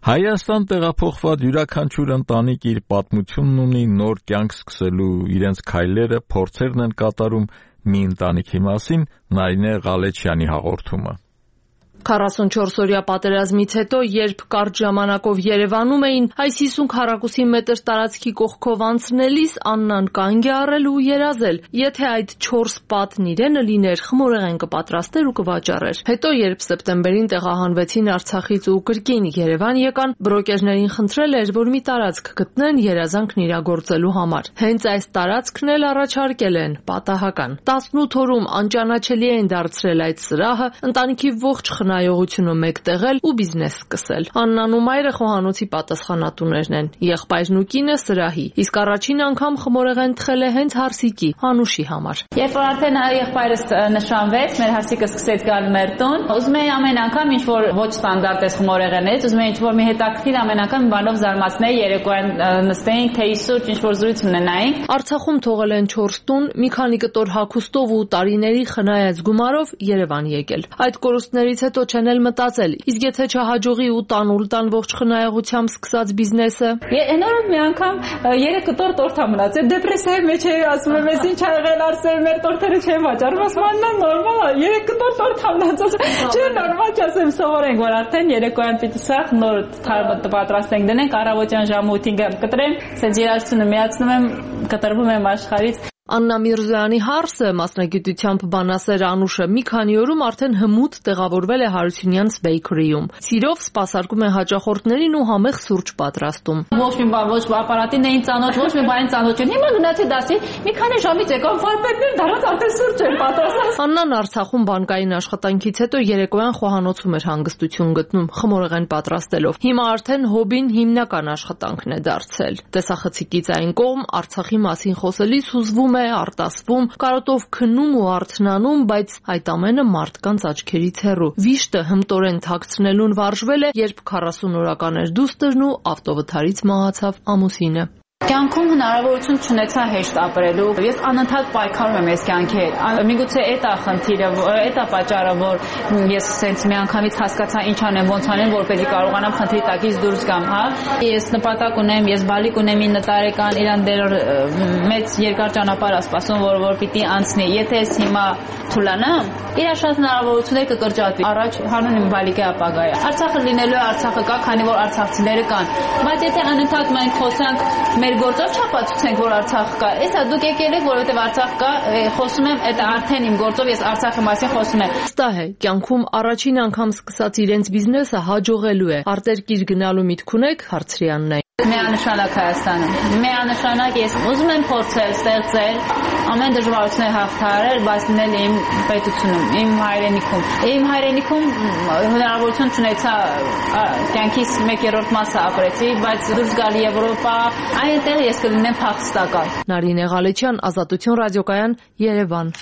Հայաստան տեղափոխված յուրաքանչյուր ընտանիք իր պատմությունն ունի, նոր կյանք սկսելու իրենց քայլերը, փորձերն են կատարում մի ընտանիքի մասին, Նարինե Ղալեչյանի հաղորդումը։ քառասունչորս օրյա պատերազմից հետո, երբ կարճ ժամանակով Երևանում էին, այս հիսուն քառակուսի մետր տարածքի կողքով անցնելիս Աննան կանգ է առել ու երազել, եթե այդ չորս պատն իրենը լիներ, խմորեղեն կպատրաստեր ու կվաճառեր։ Հետո, երբ սեպտեմբերին տեղահանվեցին Արցախից ու կրկին Երևան եկան, բրոկերներին խնդրել էր, որ մի տարածք գտնեն երազանքն իրագործելու համար։ Հենց այս տարածքն էլ առաջարկել են, պատահական։ տասնութ օրում անճանաչելի են դարձրել այդ սրահը, ընտանիքի ողջ խնայողությունը մեկտեղել ու բիզնես սկսել։ Աննան ու մայրը խոհանոցի պատասխանատուներն են, եղբայրն ու կինը սրահի, իսկ առաջին անգամ խմորեղեն թխել է հենց Հարսիկի, Անուշի համար։ Երբ որ արդեն եղբայրս նշանվեց, մեր Հարսիկը սկսեց գալ մեր տուն, ուզում էի ամեն անգամ ինչ որ ոչ ստանդարտ է խմորեղենից, ուզում էի ինչ որ մի հետաքրքիր ամեն անգամ բանով զարմացնել, երեկոյան նստեինք, թեյի սուրճ, ինչ որ զրույց ունենայինք։ Արցախում թողել են չորս տուն, մի քանի կտոր հագուստով ու տարիների խնայած գումարով Երևան եկել։ Այդ կորուստներից հետո չեն էլ մտածել, իսկ եթե չհաջողի ու տանուլ տան ողջ խնայողությամբ սկսած բիզնեսը։ Նորոք մի անգամ երեք կտոր տորտ ա մնացել, դեպրեսիայի մեջ էի, ասում եմ, ես ինչ ա եղել, Արսեն, մեր տորտերը չեն վաճառում, ասում եմ, նորմալ է, երեք կտոր տորտ ա մնացել, չէ, նորմալ չի, ասեմ, սովորենք, որ արդեն երեկոյան պիտի սա նոր պատրաստենք դնենք, առավոտյան ժամը ութին կտրեմ, ասենց երաժշտությունը միացնում եմ, կտրվում եմ աշխարհից։ Աննա Միրզոյանի հարսը, մասնագիտությամբ բանասեր Անուշը, մի քանի օրում արդեն հմուտ տեղավորվել է Հարությունյանց Bakery-ում։ Սիրով սպասարկում է հաճախորդներին ու համեղ սուրճ պատրաստում։ Ոչ մի բան, ոչ ապարատին էին ծանոթ, ոչ մի բան ծանոթ չէ։ Հիմա գնացի դասի, մի քանի ժամից եկան վարպետներ, դրանց արդեն սուրճ են պատրաստած։ Աննան Արցախում բանկային աշխատանքից հետո երեկոյան խոհանոցում էր հանգստություն գտնում, խմորեղեն պատրաստելով։ Հիմա արդեն հոբին հիմնական աշխատանքն է դարձել։ Տեսախցիկից այն կողմ Արցախի մասին խոսելիս հուզվում է, արտասվում, կարոտով քնում ու արթնանում, բայց այդ ամենը մարդկանց աչքերից հեռու։ Վիշտը հմտորեն թաքցնելուն վարժվել է, երբ քառասուն օրական էր դուստրն ու ավտովթարից մահացավ ամուսինը։ Կյանքում հնարավորություն չունեցա հեշտ ապրելու։ Ես անընդհատ պայքարում եմ այս կյանքի հետ։ Միգուցե այդ է խնդիրը, այդ է պատճառը, որ ես սենց մի անգամից հասկացա ինչ անեմ, ոնց անեմ, որպեսզի կարողանամ խնդրի տակից դուրս գամ, հա։ Ես նպատակ ունեմ, ես բալիկ ունեմ ինը տարեկան, իրան դեռ մեծ երկար ճանապարհ է սպասում, որ որ պիտի անցնի։ Եթե ես հիմա թուլանամ, իր շատ հնարավորություններ կկրճատվի։ Առաջ հանուն իմ բալիկի ապագայը։ Արցախը լինելու է, Արցախը կա, քանի որ արցախցիները կան։ Բայց եթե անընդհատ մենք խոսանք մեր գործով չապացուցենք, որ Արցախ կա։ Էսա դուք եկել եք, որովհետև Արցախ կա, խոսում եմ, այդ արդեն իմ գործով ես Արցախի մասին խոսում եմ։ Վստահ է, կյանքում առաջին անգամ սկսած իրենց բիզնեսը հաջողելու է։ Արտերկիր գնալու միտք ունեք, հարցրի Աննային։ Միանշանակ Հայաստանում։ Միանշանակ ես ուզում եմ փորձել ստեղծել, ամեն դժվարություններ հաղթահարել, բայց լինել իմ պետությունում, իմ հայրենիքում։ Իմ հայրենիքում հնարավորություն չունեցա կյանքիս մեկ երրորդ մասը ապրեցի, բայց դուրս գալ Եվրոպա, այնտեղ ես կլինեմ փախստական։ Նարինե Ղալեչյան, Ազատություն ռադիոկայան, Երևան։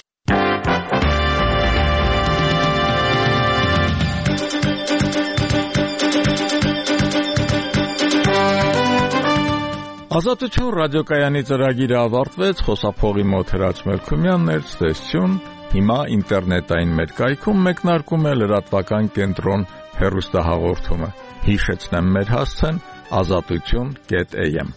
Ազատություն ռադիոկայանի ծրագիրը ավարտվեց, խոսափողի մոտ Հրաչ Մելքումյանն էր, ցտեսություն։ Հիմա ինտերնետային մեր կայքում մեկնարկում է լրատվական կենտրոն հեռուստահաղորդումը։ Հիշեցնեմ մեր հասցեն ազատություն կետ am։